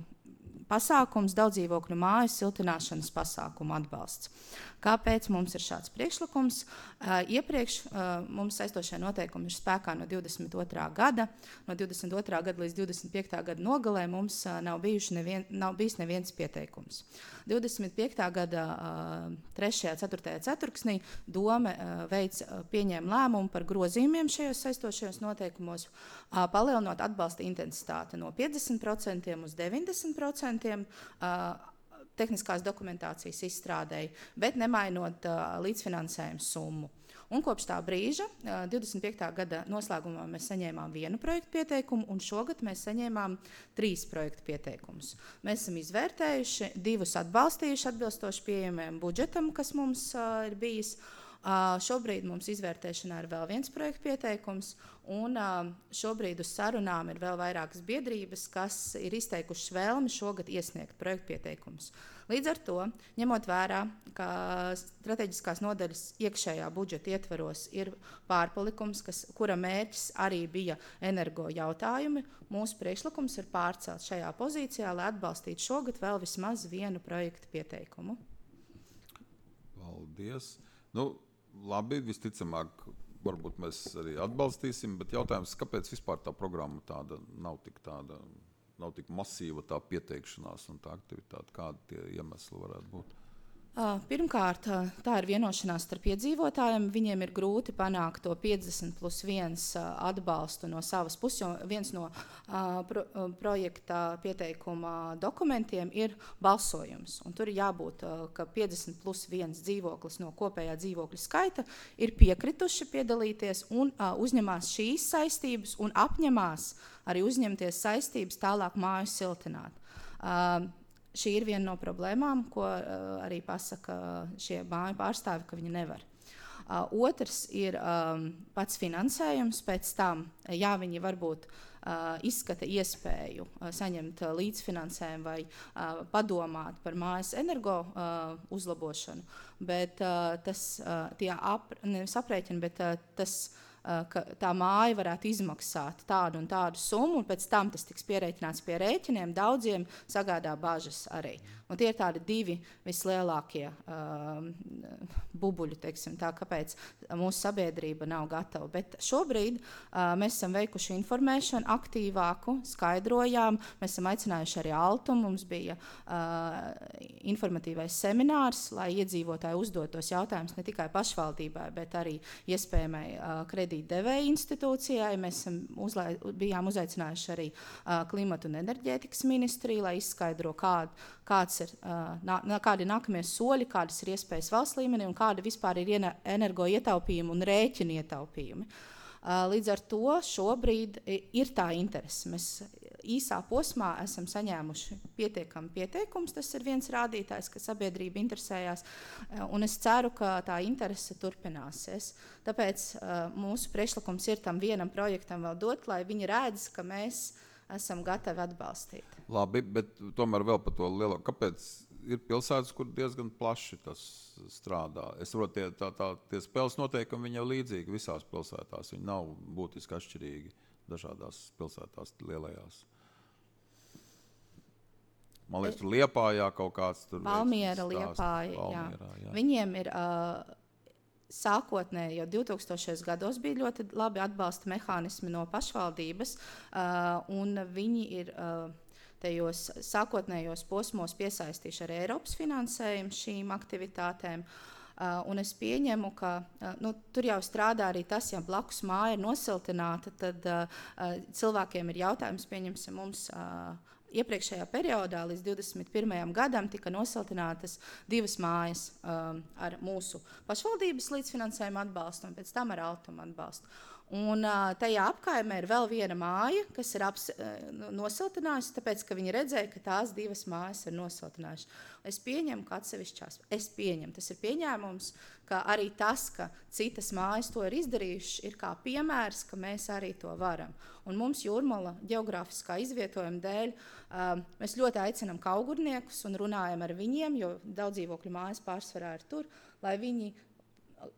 pasākums daudzdzīvokļu mājas siltināšanas pasākumu atbalsts. Kāpēc mums ir šāds priekšlikums? Uh, iepriekš uh, mums saistošie noteikumi ir spēkā no divdesmit otrā gada. No divdesmit otrā gada līdz divdesmit piektā gada nogalē mums uh, nav, nevien, nav bijis neviens pieteikums. divdesmit piektā gada uh, trešajā ceturtajā ceturksnī Dome uh, veic, uh, pieņēma lēmumu par grozījumiem šajos saistošajos noteikumos, uh, palielinot atbalsta intensitāti no piecdesmit procentiem uz deviņdesmit procentiem uh, tehniskās dokumentācijas izstrādēji, bet nemainot uh, līdzfinansējumu summu. Un kopš tā brīža, uh, divdesmit piektā gada noslēgumā, mēs saņēmām vienu projektu pieteikumu, un šogad mēs saņēmām trīs projektu pieteikumus. Mēs esam izvērtējuši, divus atbalstījuši atbilstoši pieejamajam budžetam, kas mums uh, ir bijis. Uh, šobrīd mums izvērtēšanā ir vēl viens projektu pieteikums, un uh, šobrīd uz sarunām ir vēl vairākas biedrības, kas ir izteikušas vēlmi šogad iesniegt projektu pieteikumus. Līdz ar to, ņemot vērā, ka strateģiskās nodaļas iekšējā budžeta ietvaros ir pārpalikums, kas, kura mērķis arī bija energo jautājumi, mūsu priekšlikums ir pārcelt šajā pozīcijā, lai atbalstītu šogad vēl vismaz vienu projektu pieteikumu. Paldies. Nu, labi, visticamāk, varbūt mēs arī atbalstīsim, bet jautājums, kāpēc vispār tā programma tāda nav tik tāda, nav tik masīva tā pieteikšanās un tā aktivitāte, kādi tie iemesli varētu būt? Uh, pirmkārt, uh, tā ir vienošanās starp iedzīvotājiem. Viņiem ir grūti panākt to piecdesmit plus viens uh, atbalstu no savas puses, jo viens no uh, pro, uh, projekta pieteikuma dokumentiem ir balsojums. Un tur ir jābūt, uh, ka piecdesmit plus viens dzīvoklis no kopējā dzīvokļa skaita ir piekrituši piedalīties un uh, uzņemās šīs saistības un apņemās arī uzņemties saistības tālāk māju siltināt. Uh, Šī ir viena no problēmām, ko uh, arī pasaka šie māju pārstāvi, ka viņi nevar. Uh, otrs ir um, pats finansējums. Pēc tam, jā, viņi varbūt uh, izskata iespēju uh, saņemt uh, līdzfinansējumu vai uh, padomāt par mājas energo uh, uzlabošanu, bet uh, tas uh, tie ap, nevis aprēķini, bet uh, tas ka tā māja varētu izmaksāt tādu un tādu summu, un pēc tam tas tiks pierēķināts pie rēķiniem, daudziem sagādā bažas arī. Un tie ir tādi divi vislielākie um, bubuļi, teiksim, tā, kāpēc mūsu sabiedrība nav gatava. Bet šobrīd uh, mēs esam veikuši informēšanu aktīvāku, skaidrojām, mēs esam aicinājuši arī Altu, mums bija uh, informatīvais seminārs, lai iedzīvotāji uzdotos jautājumus ne tikai pašvaldībai, bet arī iespējamai uh, kredītdevēja institūcijai. Mēs esam uzlai, bijām uzaicinājuši arī uh, klimatu un enerģētikas ministriju, lai izskaidro, kād, kāds ir, uh, nā, kādi ir nākamie soļi, kādas ir iespējas valsts līmenī un kāda vispār ir energo ietaupījumi un rēķini ietaupījumi. Uh, līdz ar to šobrīd ir tā interese. Mēs īsā posmā esam saņēmuši pietiekami pieteikums, tas ir viens rādītājs, ka sabiedrība interesējās, un es ceru, ka tā interese turpināsies. Tāpēc uh, mūsu priekšlikums ir tam vienam projektam vēl dot, lai viņi redz, ka mēs esam gatavi atbalstīt. Labi, bet tomēr vēl par to lielo. Kāpēc ir pilsētas, kur diezgan plaši tas strādā? Es saprotu, tie, tā, tā, tie spēles noteikumi viņi jau līdzīgi visās pilsētās. Viņi nav būtiski atšķirīgi dažādās pilsētās lielajās. Man liekas, tur Liepājā kaut kāds tur Valmiera, Liepāja, Valmierā, jā. jā. Viņiem ir uh, sākotnēji jau divtūkstošajos gados bija ļoti labi atbalsta mehānismi no pašvaldības, uh, un viņi ir uh, tajos sākotnējos posmos piesaistījuši arī Eiropas finansējumu šīm aktivitātēm. Uh, un es pieņemu, ka uh, nu, tur jau strādā arī tas, ja blakus māja ir nosiltināta, tad uh, uh, cilvēkiem ir jautājums, pieņemsim mums, uh, iepriekšējā periodā līdz divdesmit pirmajam gadam tika nosiltinātas divas mājas um, ar mūsu pašvaldības līdzfinansējumu atbalstu un pēc tam ar Altuma atbalstu. Un uh, tajā apkaimē ir vēl viena māja, kas ir aps, uh, nosiltinājusi, tāpēc, ka viņi redzēja, ka tās divas mājas ir nosiltinājušas. Es pieņemu, ka atsevišķās, es pieņemu, tas ir pieņēmums, ka arī tas, ka citas mājas to ir izdarījušas, ir kā piemērs, ka mēs arī to varam. Un mums Jūrmala geogrāfiskā izvietojuma dēļ uh, mēs ļoti aicinam kaugurniekus un runājam ar viņiem, jo daudz dzīvokļu mājas pārsvarā ir tur, lai viņi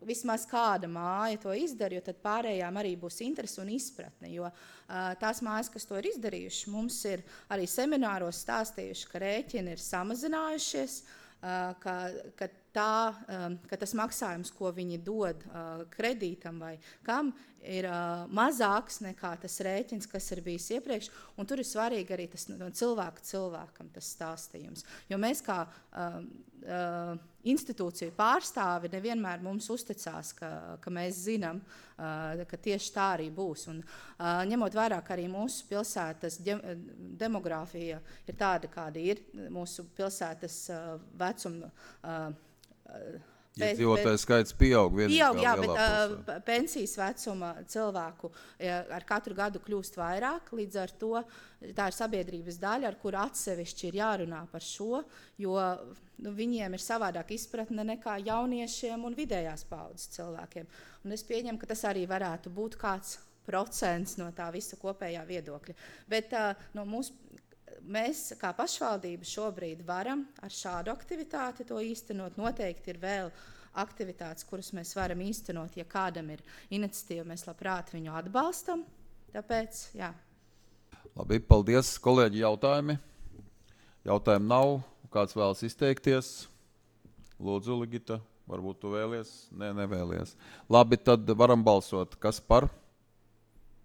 vismaz kāda māja to izdara, jo tad pārējām arī būs interese un izpratne, jo uh, tās mājas, kas to ir izdarījuši, mums ir arī semināros stāstījuši, ka rēķini ir samazinājušies, uh, ka, ka, tā, um, ka tas maksājums, ko viņi dod uh, kredītam vai kam, ir uh, mazāks nekā tas rēķins, kas ir bijis iepriekš, un tur ir svarīgi arī tas no cilvēka cilvēkam tas stāstījums, jo mēs kā uh, uh, institūciju pārstāvi nevienmēr mums uzticās, ka, ka mēs zinām, uh, ka tieši tā arī būs. Un, uh, ņemot vērā, ka arī mūsu pilsētas de, demogrāfija ir tāda, kāda ir, mūsu pilsētas uh, vecuma uh, Iedzīvotāju skaits pieaug. Pieaug, jā, bet uh, pensijas vecuma cilvēku ja, ar katru gadu kļūst vairāk, līdz ar to tā ir sabiedrības daļa, ar kuru atsevišķi ir jārunā par šo, jo nu, viņiem ir savādāk izpratne nekā jauniešiem un vidējās paudzes cilvēkiem. Un es pieņemu, ka tas arī varētu būt kāds procents no tā visa kopējā viedokļa. Bet uh, no mūsu mēs, kā pašvaldība, šobrīd varam ar šādu aktivitāti to īstenot. Noteikti ir vēl aktivitātes, kuras mēs varam īstenot, ja kādam ir iniciatīva, mēs labprāt viņu atbalstam. Tāpēc, jā. Labi, paldies, kolēģi, jautājumi. Jautājumi nav. Kāds vēlas izteikties? Lūdzu, Ligita, varbūt tu vēlies? Nē, nevēlies. Labi, tad varam balsot. Kas par?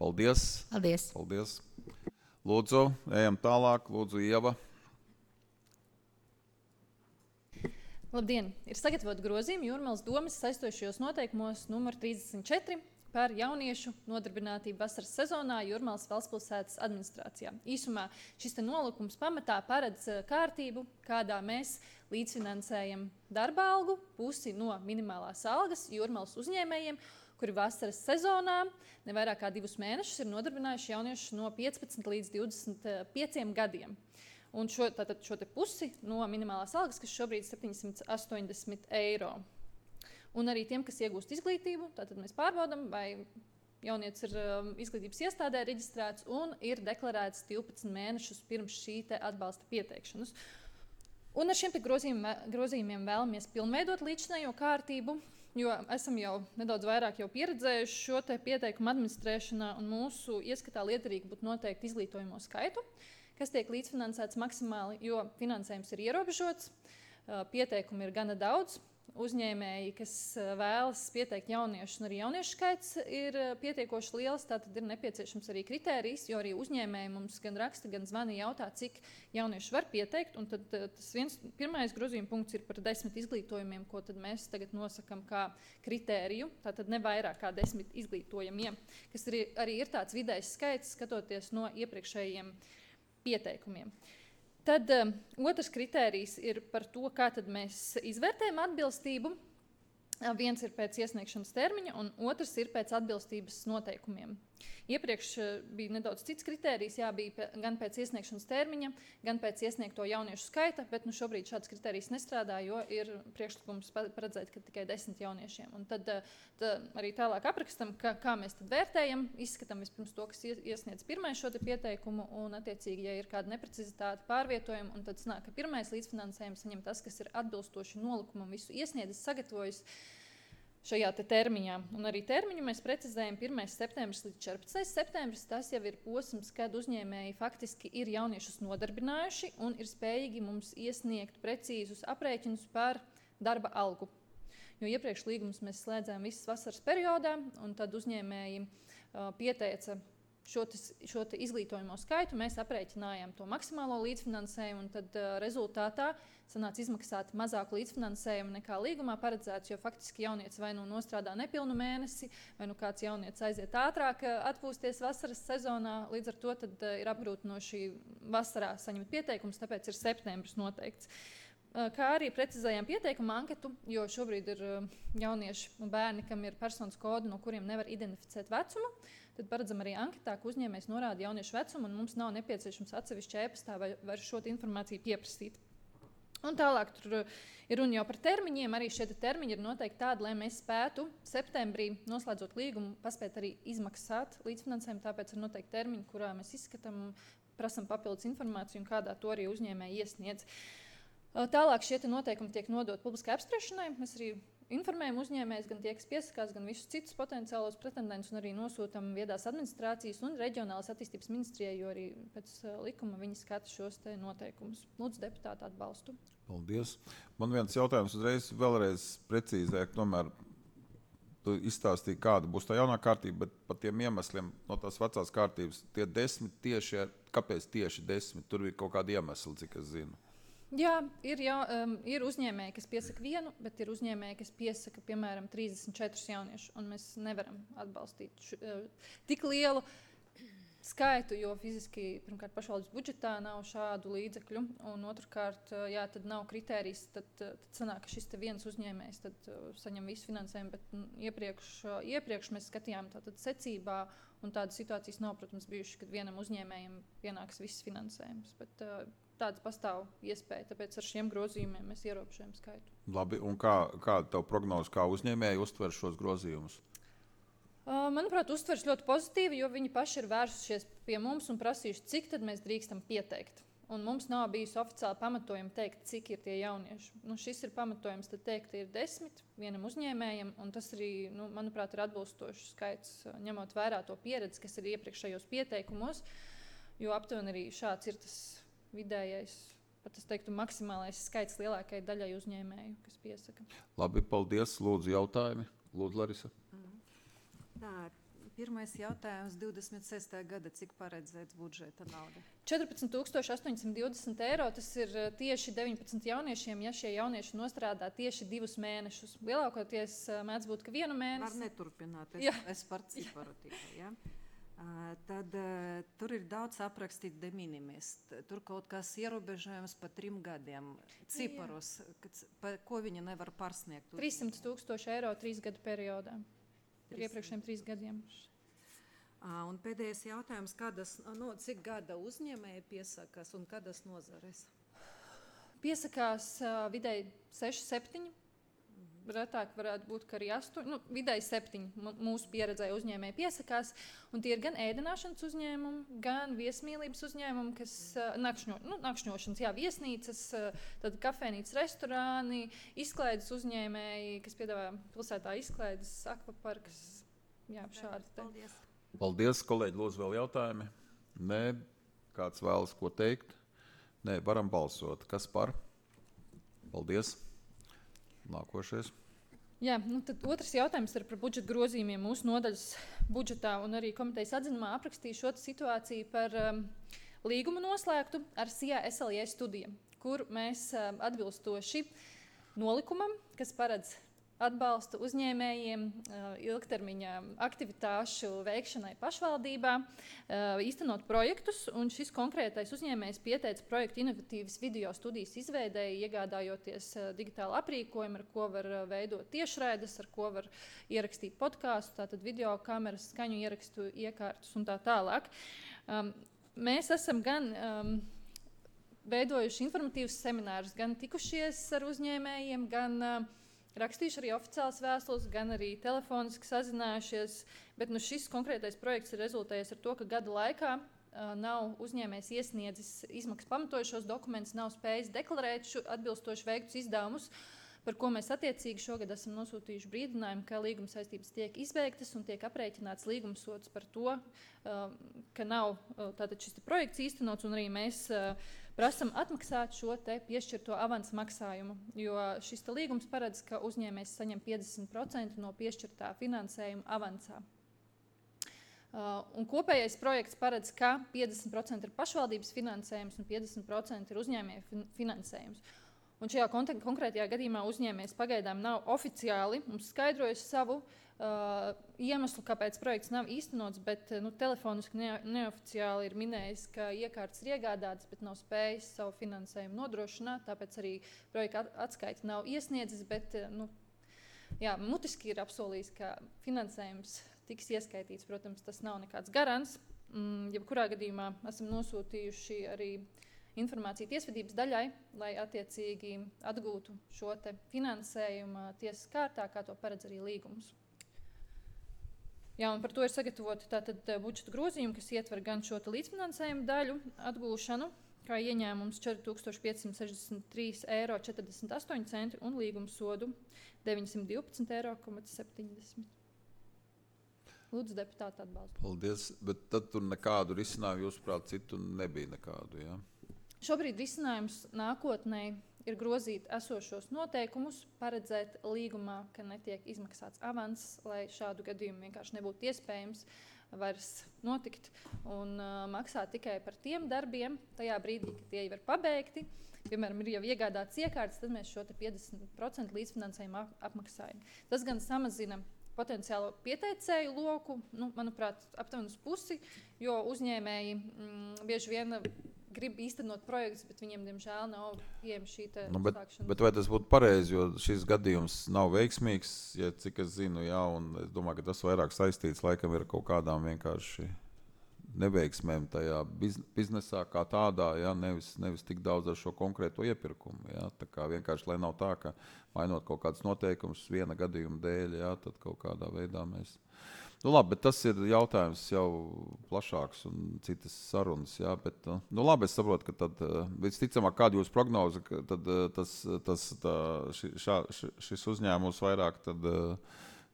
Paldies. Paldies. Paldies. Lūdzu, ejam tālāk. Lūdzu, Ieva. Labdien! Ir sagatavot grozījumi Jūrmalas domes saistošajos noteikumos numur trīsdesmit četri par jauniešu nodarbinātību vasaras sezonā Jūrmalas valstspilsētas administrācijā. Īsumā šis te nolikums pamatā paredz kārtību, kādā mēs līdzfinansējam darba algu pusi no minimālās algas Jūrmalas uzņēmējiem, kuri vasaras sezonā nevairāk kā divus mēnešus ir nodarbinājuši jauniešus no piecpadsmit līdz divdesmit pieciem gadiem. Un šo, tātad šo te pusi no minimālās algas, kas šobrīd ir septiņsimt astoņdesmit eiro. Un arī tiem, kas iegūst izglītību, tātad mēs pārbaudam, vai jaunietis ir um, izglītības iestādē reģistrēts un ir deklarēts divpadsmit mēnešus pirms šī te atbalsta pieteikšanas. Un ar šiem te grozījumiem, grozījumiem vēlamies pilnveidot līdzinējo kārtību, jo esam jau nedaudz vairāk jau pieredzējuši šo te pieteikumu administrēšanā, un mūsu ieskatā liederīgi būtu noteikti izglītojamo skaitu, kas tiek līdzfinansēts maksimāli, jo finansējums ir ierobežots, pieteikumi ir gana daudz. Uzņēmēji, kas vēlas pieteikt jauniešus, un arī jauniešu skaits ir pietiekoši liels, tātad ir nepieciešams arī kritērijs, jo arī uzņēmēji mums gan raksta, gan zvani jautā, cik jaunieši var pieteikt, un tad tas viens pirmais grozījuma punkts ir par desmit izglītojumiem, ko tad mēs tagad nosakam kā kritēriju, tātad ne vairāk kā desmit izglītojumiem, kas arī, arī ir tāds vidējs skaits, skatoties no iepriekšējiem pieteikumiem. Tad um, otrs kritērijs ir par to, kā tad mēs izvērtējam atbilstību. Viens ir pēc iesniegšanas termiņa, un otrs ir pēc atbilstības noteikumiem. Iepriekš bija nedaudz cits kritērijs, jā, bija gan pēc iesniegšanas termiņa, gan pēc iesniegto jauniešu skaita, bet nu, šobrīd šāds kritērijs nestrādā, jo ir priekšlikums paredzēt, ka tikai desmit jauniešiem. Un tad tā, arī tālāk aprakstam, kā, kā mēs tad vērtējam, izskatām vispirms to, kas iesniedz pirmais šo te pieteikumu, un attiecīgi, ja ir kāda neprecizitāte pārvietojuma, un tad sanāk, ka pirmais līdzfinansējums saņem tas, kas ir atbilstoši nolikumam visu iesniedzis, sagatavojis šajā te termiņā. Un arī termiņu mēs precizējam pirmais septembris līdz četrpadsmitais septembris. Tas jau ir posms, kad uzņēmēji faktiski ir jauniešus nodarbinājuši un ir spējīgi mums iesniegt precīzus aprēķinus par darba algu. Jo iepriekš līgumus mēs slēdzām visas vasaras periodā, un tad uzņēmēji uh, pieteica šo, tis, šo te izglītojamo skaitu, mēs aprēķinājām to maksimālo līdzfinansējumu, un tad uh, rezultātā sanāca izmaksāt mazāku līdzfinansējumu nekā līgumā paredzēts, jo faktiski jaunietis vai nu nostrādā nepilnu mēnesi, vai nu kāds jaunietis aiziet ātrāk atpūsties vasaras sezonā, līdz ar to tad uh, ir apgrūtinoši vasarā saņemt pieteikumus, tāpēc ir septembris noteikts. Kā arī precizējām pieteikumu anketu, jo šobrīd ir jaunieši un bērni, kam ir personas kodi, no kuriem nevar identificēt vecumu. Tad paredzam arī anketā, ka uzņēmējs norāda jauniešu vecumu, un mums nav nepieciešams atsevišķi e-pastā vai, vai šo informāciju pieprasīt. Un tālāk tur ir runa jau par termiņiem. Arī šie termiņi ir noteikti tādi, lai mēs spētu septembrī, noslēdzot līgumu, paspēt arī izmaksāt līdzfinansējumu. Tāpēc ir noteikti termiņi, kurā mēs izskatām, prasam papildus informāciju un kādā to arī uzņēmēji iesniedz. Tālāk šie noteikumi tiek nodot publiskai apspriešanai. Mēs arī informējam uzņēmējus, gan tie, kas piesakās, gan visus citus potenciālos pretendentus, un arī nosūtam viedās administrācijas un reģionālās attīstības ministrijai, jo arī pēc likuma viņi skata šos te noteikumus. Lūdzu, deputātu atbalstu. Paldies. Man viens jautājums uzreiz vēlreiz precīzēt, tomēr tu izstāstīji, kāda būs tā jaunā kārtība, bet par tiem iemesliem no tās vecās kārtības, tie desmit tieši, kāpēc tieši desmit? Tur ir kaut kādi iemesli, cik es zinu. Jā, ir, jā um, ir uzņēmēji, kas piesaka vienu, bet ir uzņēmēji, kas piesaka, piemēram, trīsdesmit četrus jauniešus, un mēs nevaram atbalstīt š, uh, tik lielu skaitu, jo fiziski, pirmkārt, pašvaldības budžetā nav šādu līdzekļu, un otrkārt, uh, jā, tad nav kritērijs, tad, uh, tad sanāk, ka šis te viens uzņēmējs tad, uh, saņem visu finansējumu, bet m, iepriekš, uh, iepriekš mēs skatījām tātad secībā, un tādas situācijas nav, protams, bijušas, kad vienam uzņēmējam pienāks viss finansējums, bet uh, tāds pastāv iespēja, tāpēc ar šiem grozījumiem mēs ierobežojam skaitu. Labi, un kā, kāda tev prognoze, kā uzņēmēji uztver šos grozījumus? Uh, manuprāt, uztvers ļoti pozitīvi, jo viņi paši ir vērsušies pie mums un prasījuši, cik tad mēs drīkstam pieteikt. Un mums nav bijis oficiāli pamatojumi teikt, cik ir tie jaunieši. Nu, šis ir pamatojums tad teikt, ir desmit vienam uzņēmējam, un tas arī, nu, manuprāt, ir atbilstošs skaits, ņemot vērā to pieredzi, kas ir iepriekšējos pieteikumos, jo aptuveni arī šāds ir tas vidējais, pat es teiktu, maksimālais skaits lielākajai daļai uzņēmēju, kas piesaka. Labi, paldies. Lūdzu, jautājumi. Lūdzu, Larisa. Mm. Tā, pirmais jautājums divdesmit sestajā gada, cik paredzēts budžeta nauda? četrpadsmit tūkstoši astoņsimt divdesmit eiro, tas ir tieši deviņpadsmit jauniešiem, ja šie jaunieši nostrādā tieši divus mēnešus. Lielākoties mēdz būt, ka vienu mēnesi. Var neturpināt, es, es par ciparu tikai, ja? Uh, tad uh, tur ir daudz aprakstīt de minimis. Tur kaut kas ierobežojums pa trim gadiem. Ciparos, kad, pa, ko viņi nevar pārsniegt? trīssimt tūkstoši eiro trīs gadu periodā. Par iepriekšējiem trīs gadiem. Uh, un pēdējais jautājums, kādas, no, cik gada uzņēmēji piesakas un kādas nozares? Piesakās uh, vidēji seši, septiņi. Mhm. retāk varētu būt, ka arī astoņi, nu, vidēji septiņi mūsu pieredzēja uzņēmēji piesakās. Un tie ir gan ēdināšanas uzņēmumi, gan viesmīlības uzņēmumi, kas nakšņo, nu, nakšņošanas, jā, viesnīcas, tad kafejnīcas, restorāni, izklaides uzņēmēji, kas piedāvā pilsētā izklaides, akvaparks, jā, šādi. Paldies. Paldies, kolēģi, lūdzu vēl jautājumi. Nē, kāds vēlas ko teikt? Nē, varam balsot. Kas par? Paldies. Nākošais. Jā, nu tad otrs jautājums ir par budžeta grozījumiem. Mūsu nodaļas budžetā un arī komitejas atzinumā aprakstīju šo situāciju par um, līgumu noslēgtu ar S I A S L J studiju, kur mēs um, atbilstoši nolikumam, kas paredz atbalstu uzņēmējiem ilgtermiņa aktivitāšu veikšanai pašvaldībā, īstenot projektus, un šis konkrētais uzņēmējs pieteica projektu inovatīvas video studijas izveidēji, iegādājoties digitālu aprīkojumu, ar ko var veidot tiešraides, ar ko var ierakstīt podkāstu, tātad video kameras, skaņu ierakstu iekārtus un tā tālāk. Mēs esam gan um, veidojuši informatīvus seminārus, gan tikušies ar uzņēmējiem, gan uh, rakstījuši arī oficiālas vēstules, gan arī telefoniski sazinājušies, bet nu, šis konkrētais projekts ir rezultējies ar to, ka gada laikā uh, nav uzņēmējs iesniedzis izmaksas pamatojušos dokumentus, nav spējis deklarēt šo atbilstoši veiktus izdevumus, par ko mēs attiecīgi šogad esam nosūtījuši brīdinājumu, ka līguma saistības tiek izbeigtas un tiek aprēķināts līguma sods par to, uh, ka nav uh, tātad šis projekts īstenots, un arī mēs uh, prasam atmaksāt šo te piešķirto avansa maksājumu, jo šis te līgums paredz, ka uzņēmējs saņem piecdesmit procenti no piešķirtā finansējuma avansā. Uh, un kopējais projekts paredz, ka piecdesmit procenti ir pašvaldības finansējums un piecdesmit procenti ir uzņēmēja fin finansējums. Un šajā konkrētajā gadījumā uzņēmējs pagaidām nav oficiāli mums skaidrojis savu uh, iemeslu, kāpēc projekts nav īstenots, bet nu, telefoniski ne, neoficiāli ir minējis, ka iekārtas ir iegādātas, bet nav spējis savu finansējumu nodrošināt, tāpēc arī projekta atskaiti nav iesniedzis, bet nu, jā, mutiski ir apsolījis, ka finansējums tiks ieskaitīts. Protams, tas nav nekāds garants. Mm, jebkurā gadījumā esam nosūtījuši arī informāciju tiesvedības daļai, lai attiecīgi atgūtu šo te finansējumu tiesas kārtā, kā to paredz arī līgums. Jā, un par to ir sagatavoti tātad budžeta grozījumi, kas ietver gan šo te līdzfinansējumu daļu atgūšanu, kā ieņēmums četri tūkstoši piecsimt sešdesmit trīs eiro četrdesmit astoņi centi un līguma sodu deviņsimt divpadsmit eiro septiņdesmit. Lūdzu, deputāti atbalstu. Paldies, bet tad tur nekādu risinājumu, jūsuprāt, citu nebija nekādu, jā? Šobrīd risinājums nākotnē ir grozīt esošos noteikumus, paredzēt līgumā, ka netiek izmaksāts avans, lai šādu gadījumu vienkārši nebūtu iespējams vairs notikt un uh, maksāt tikai par tiem darbiem, tajā brīdī, kad tie jau ir pabeigti. Piemēram, ir jau iegādāts iekārtas, tad mēs šo te piecdesmit procenti līdzfinansējumu apmaksājam. Tas gan samazina potenciālo pieteicēju loku, nu, manuprāt, aptuveni uz pusi, jo uzņēmēji mm, bieži vien grib īstenot projektus, bet viņiem, diemžēl, nav pieejama šī te nu, bet, uzsākšanas. bet vai tas būtu pareizi, jo šis gadījums nav veiksmīgs, ja cik es zinu, jā, un es domāju, ka tas vairāk saistīts, laikam ir kaut kādām vienkārši neveiksmēm tajā biznesā kā tādā, jā, nevis, nevis tik daudz ar šo konkrēto iepirkumu, jā, tā kā vienkārši, lai nav tā, ka mainot kaut kādus noteikumus viena gadījuma dēļ, jā, tad kaut kādā veidā mēs... Nu labi, bet tas ir jautājums jau plašāks un citas sarunas, jā, bet, nu labi, es saprotu, ka tad, visticamāk, kāda jūs prognoze, ka tad tas, tas, tā, ši, šā, šis uzņēmums vairāk tad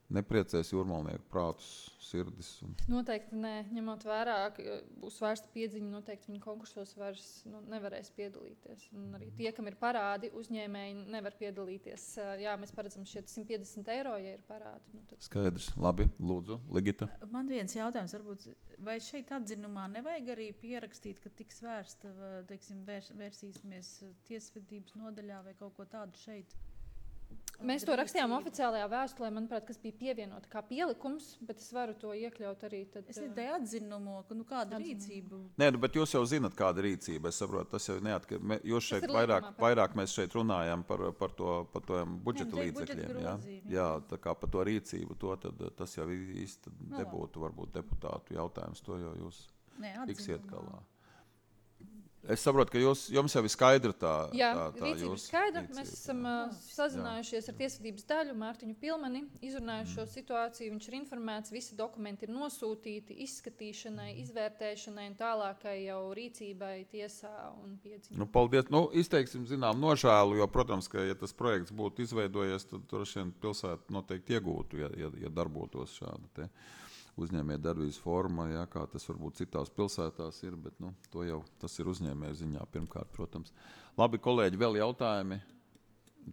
nepriecēs jūrmalnieku prātus, sirdis. Un... Noteikti nē, ņemot vērā, ka būs vērsta piedziņa, noteikti viņi konkursos vairs nu, nevarēs piedalīties. Un arī tie, kam ir parādi, uzņēmēji nevar piedalīties. Jā, mēs paredzam šeit simt piecdesmit eiro, ja ir parādi. Nu, tad... Skaidrs, labi, lūdzu, Ligita. Man viens jautājums, varbūt, vai šeit atzinumā nevajag arī pierakstīt, ka tiks vērsta, teiksim, vērs, vērsīsimies tiesvedības nodaļā vai kaut ko tādu šeit? Mēs to rakstījām oficiālajā vēstulē, manuprāt, kas bija pievienota kā pielikums, bet es varu to iekļaut arī tad... Es nedēju atzinumu, ka nu kāda atzinumu. Rīcība... Nē, nu, bet jūs jau zinat, kāda rīcība, es saprotu, tas jau neatkar... Jūs šeit vairāk, vairāk mēs šeit runājam par, par to, par to budžeta Nē, līdzekļiem, jā? Jā, tā kā par to rīcību, to tad tas jau īsti nebūtu varbūt deputātu jautājums, to jau jūs Nē, tiksiet galā. Es saprotu, ka jūs, jums jau ir skaidra tā, Jā, tā, tā rīcība ir jūsu skaidra. rīcība, Mēs esam jā. uh, sazinājušies ar tiesvedības daļu, Mārtiņu Pilmani, izrunājuši šo situāciju. Viņš ir informēts, visi dokumenti ir nosūtīti izskatīšanai, izvērtēšanai un tālākai jau rīcībai tiesā un piedziņai. Nu, paldies. Nu, izteiksim, zinām, nožēlu, jo, protams, ka, ja tas projekts būtu izveidojies, tad droši vien pilsēta noteikti iegūtu, ja, ja, ja darbotos šāda te uzņēmēja darbības forma, ja, kā tas varbūt citās pilsētās ir, bet nu, to jau tas ir uzņēmēja ziņā pirmkārt, protams. Labi, kolēģi, vēl jautājumi,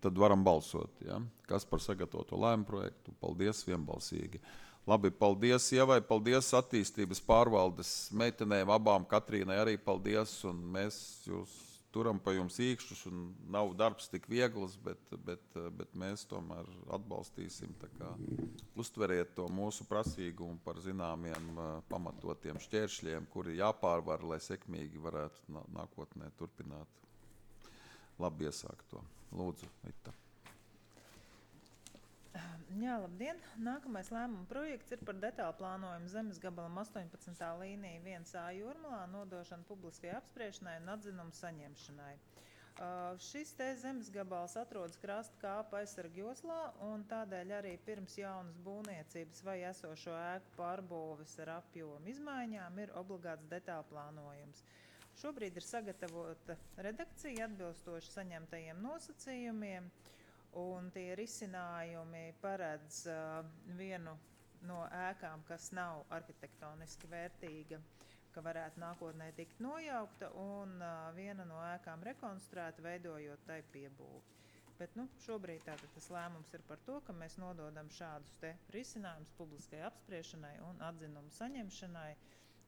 tad varam balsot. Ja? Kas par sagatavoto lēmumu projektu? Paldies vienbalsīgi. Labi, paldies Ievai, paldies attīstības pārvaldes meitenēm, abām Katrīnai arī paldies, un mēs jūs turam pa jums īkšķus, un nav darbs tik viegls, bet, bet, bet mēs tomēr atbalstīsim. Tā kā uztveriet to mūsu prasīgumu par zināmiem pamatotiem šķēršļiem, kuri jāpārvar, lai sekmīgi varētu nākotnē turpināt labi iesākt to. Lūdzu, Vita. Jā, labdien! Nākamais lēmuma projekts ir par detālu plānojumu zemes gabalam astoņpadsmitā līnija viens A Jūrmalā, nodošanu publiskai apspriešanai un atzinumu saņemšanai. Uh, šis te zemes gabals atrodas krasta kāpa aizsarga joslā, un tādēļ arī pirms jaunas būvniecības vai esošo ēku pārbūves ar apjomu izmaiņām ir obligāts detālu plānojums. Šobrīd ir sagatavota redakcija atbilstoši saņemtajiem nosacījumiem, un tie risinājumi paredz uh, vienu no ēkām, kas nav arhitektoniski vērtīga, ka varētu nākotnē tikt nojaukta, un uh, viena no ēkām rekonstruēta, veidojot tai piebūvi. Bet nu, šobrīd tātad tas lēmums ir par to, ka mēs nododam šādus te risinājumus publiskai apspriešanai un atzinumu saņemšanai,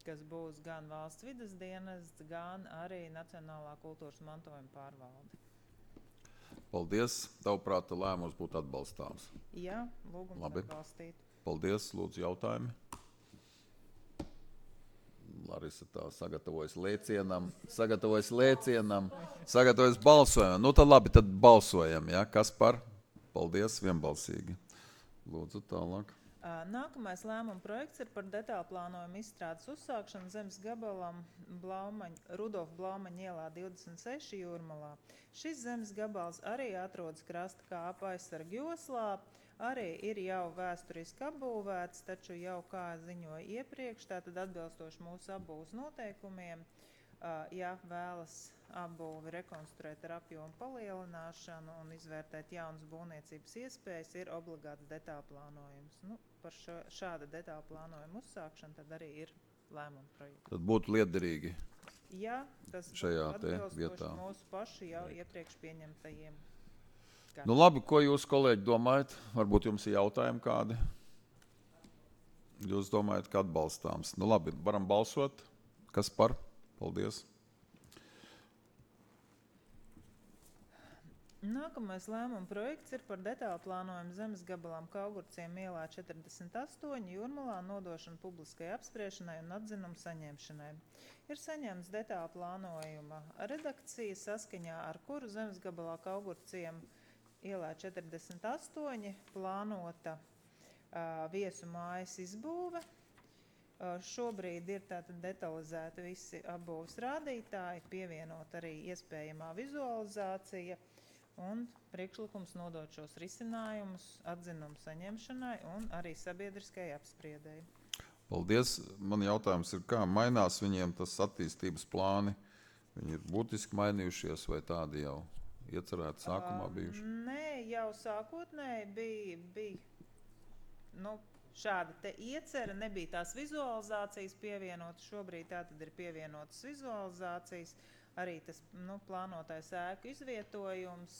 kas būs gan valsts vides dienests, gan arī Nacionālā kultūras mantojuma pārvalde. Paldies. Tavuprāt, lēmums būtu atbalstāms. Jā, lūgums Labi. atbalstīt. Paldies. Lūdzu, jautājumi. Larisa tā sagatavojas lēcienam, sagatavojas lēcienam, sagatavojas balsojumam. Nu tad labi, tad balsojam. Ja? Kas par? Paldies, vienbalsīgi. Lūdzu, tālāk. Nākamais lēmuma projekts ir par detālu plānojumu izstrādes uzsākšanu zemes gabalam Blaumaņa, Rudolfa Blaumaņa ielā divdesmit seši Jūrmalā. Šis zemes gabals arī atrodas krasta kāpa aizsarga joslā, arī ir jau vēsturiski apbūvēts, taču jau kā ziņoja iepriekš, tātad atbilstoši mūsu apbūves noteikumiem, ja vēlas apbūvi rekonstruēt ar apjomu palielināšanu un izvērtēt jaunas būvniecības iespējas, ir obligāts detālu plānojums. Nu, par šo, šāda detālu plānojuma uzsākšanu tad arī ir lēmuma projekts. Tad būtu liederīgi. Jā, tas šajā būtu atbilstoši vietā. Mūsu pašu jau iepriekš pieņemtajiem. Kā? Nu labi, ko jūs, kolēģi, domājat? Varbūt jums ir jautājumi kādi? Jūs domājat, ka atbalstāms. Nu labi, varam balsot. Kas par? Paldies. Nākamais lēmuma projekts ir par detālu plānojumu zemes gabalām Kaugurciem ielā četrdesmit astoņi Jūrmalā, nodošanu publiskai apspriešanai un atzinumu saņemšanai. Ir saņemts detālu plānojuma redakcija, saskaņā ar kuru zemes gabalā Kaugurciem ielā četrdesmit astoņi plānota uh, viesu mājas izbūve. Uh, šobrīd ir tātad detalizēti visi apbūves rādītāji, pievienot arī iespējamā vizualizācija un priekšlikums nodot šos risinājumus atzinumu saņemšanai un arī sabiedriskai apspriedēji. Paldies. Man jautājums ir, kā mainās viņiem tas attīstības plāni? Viņi ir būtiski mainījušies vai tādi jau iecerēti sākumā bijuši? Uh, nē, jau sākotnēji bija, bija nu, šāda te iecera, nebija tās vizualizācijas pievienotas, šobrīd tā tad ir pievienotas vizualizācijas, arī tas nu, plānotais ēku izvietojums,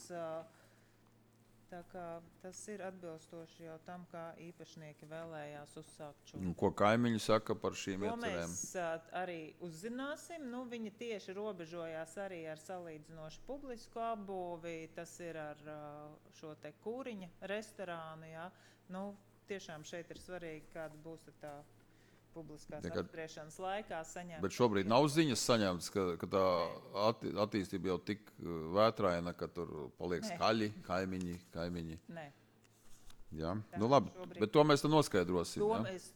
tā kā tas ir atbilstoši jau tam, kā īpašnieki vēlējās uzsākt šo. Ko kaimiņi saka par šīm to iecerēm? Mēs arī uzzināsim. Nu, viņi tieši robežojās arī ar salīdzinoši publisku apbūvi, tas ir ar šo te kūriņa restorānu. Jā. Nu, tiešām šeit ir svarīgi, kāda būs tā publiskās ja, kad, apspriešanas laikā saņemt. Bet šobrīd nav ziņas saņemtas, ka, ka tā atti, attīstība jau tik vētraina, ka tur paliek skaļi kaimiņi, kaimiņi. Nē. Jā, tā, nu labi, šobrīd. Bet to mēs tad noskaidrosim. To ja? mēs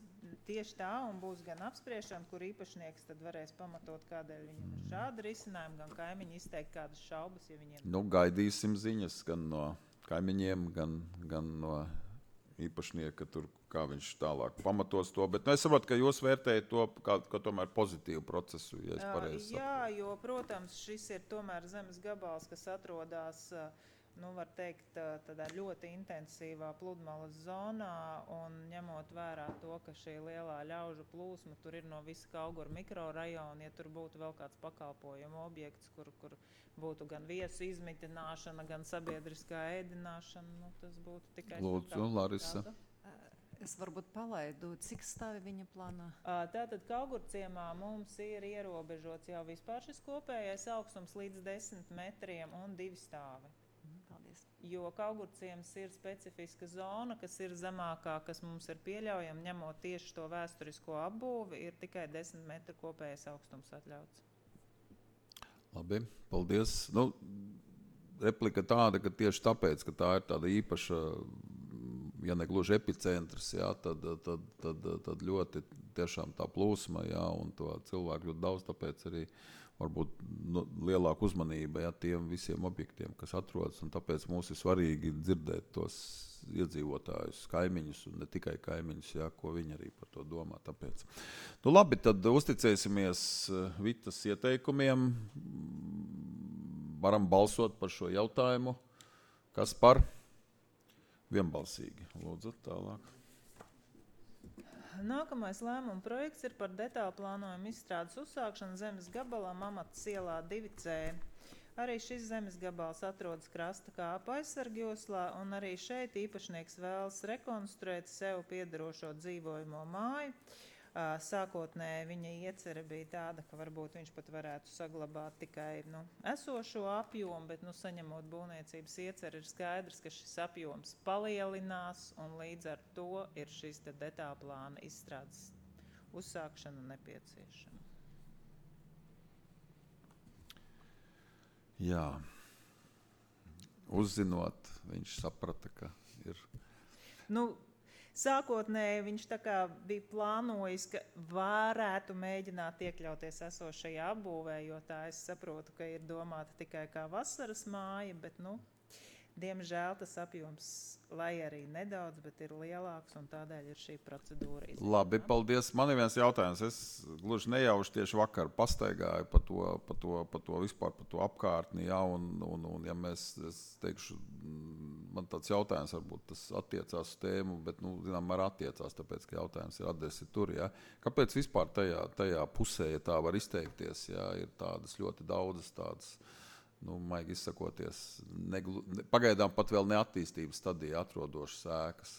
tieši tā, un būs gan apspriešana, kur īpašnieks tad varēs pamatot, kādēļ viņam ir šāda risinājuma, gan kaimiņi izteikt kādas šaubas, ja viņiem... Nu, gaidīsim ziņas gan no kaimiņiem, gan, gan no īpašnieka, tur, kā viņš tālāk pamatos to. Bet nu, es saprotu, ka jūs vērtējat to kā, kā tomēr pozitīvu procesu, ja es pareizi saprotu. Jā, jo, protams, šis ir tomēr zemes gabals, kas atrodas... nu, var teikt, tādā ļoti intensīvā pludmales zonā, un ņemot vērā to, ka šī lielā ļaužu plūsma tur ir no visa Kauguru mikrorajona, ja tur būtu vēl kāds pakalpojumu objekts, kur, kur būtu gan viesu izmitināšana, gan sabiedriskā ēdināšana, nu, tas būtu tikai... Lūdzu, Larisa. Es varbūt palaidu, cik stāvi viņa plānā? Tātad Kaugurciemā mums ir ierobežots jau vispār šis kopējais augstums līdz desmit metriem un divi stāvi. Paldies. Jo Kaugurciems ir specifiska zona, kas ir zemākā, kas mums ir pieļaujama, ņemot tieši to vēsturisko apbūvi, ir tikai desmit metru kopējais augstums atļauts. Labi, paldies. Nu, replika tāda, ka tieši tāpēc, ka tā ir tāda īpaša, ja ne gluži epicentrs, jā, tad, tad, tad, tad ļoti tiešām tā plūsma, jā, un to cilvēku ļoti daudz, tāpēc arī varbūt nu, lielāka uzmanība, jā, tiem visiem objektiem, kas atrodas, un tāpēc mums ir svarīgi dzirdēt tos iedzīvotājus, kaimiņus, un ne tikai kaimiņus, jā, ko viņi arī par to domā. Tāpēc. Nu labi, tad uzticēsimies Vitas ieteikumiem, varam balsot par šo jautājumu, kas par vienbalsīgi. Lūdzu, tālāk. Nākamais lēmuma projekts ir par detālu plānojumu izstrādes uzsākšanu zemes gabalā Mamatas ielā divi C. Arī šis zemes gabals atrodas krasta kāpa aizsargjoslā, un arī šeit īpašnieks vēlas rekonstruēt sev piederošo dzīvojamo māju. Sākotnēji viņa iecerē bija tāda, ka varbūt viņš pat varētu saglabāt tikai nu, esošo apjomu, bet nu, saņemot būvniecības ieceri, ir skaidrs, ka šis apjoms palielinās, un līdz ar to ir šis te detālu plāna izstrādes uzsākšana nepieciešama. Jā. Uzzinot, viņš saprata, ka ir... Nu, Sākotnēji viņš tā kā bija plānojis, ka varētu mēģināt iekļauties esošajā apbūvē, jo tā es saprotu, ka ir domāta tikai kā vasaras māja, bet, nu, diemžēl tas apjoms, lai arī nedaudz, bet ir lielāks, un tādēļ ir šī procedūra izmēģināt. Labi, paldies. Man ir viens jautājums. Es gluži nejauši tieši vakar pastaigāju pa to, pa to, pa to vispār, pa to apkārtni, jā, un, un, un ja mēs, es teikšu, man tāds jautājums varbūt tas attiecās uz tēmu, bet, nu, zinām, ar attiecās, tāpēc, ka jautājums ir adresi tur, jā. Kāpēc vispār tajā, tajā pusē, ja tā var izteikties, jā, ir tādas ļoti daudzas tādas, nu, maigi izsakoties, neglu, ne, pagaidām pat vēl neattīstības stadijā atrodošas ēkas?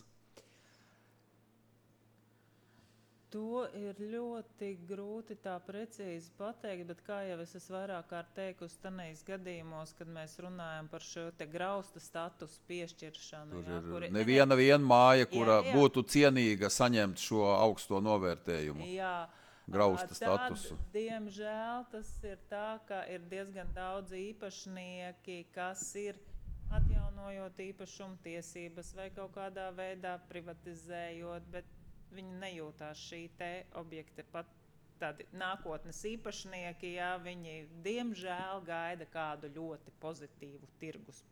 To ir ļoti grūti tā precīzi pateikt, bet kā jau es esmu vairāk kārt teikusi tanīs gadījumos, kad mēs runājam par šo te grausta statusu piešķiršanu. Tur jā, ir kuri, neviena viena māja, kura jā, jā. būtu cienīga saņemt šo augsto novērtējumu. Jā, grausta tad, statusu. Diemžēl tas ir tā, ka ir diezgan daudz īpašnieki, kas ir atjaunojot īpašumu tiesības vai kaut kādā veidā privatizējot, bet viņi nejūtās šī te objekta pat tādi nākotnes īpašnieki, jā, viņi diemžēl gaida kādu ļoti pozitīvu tirgus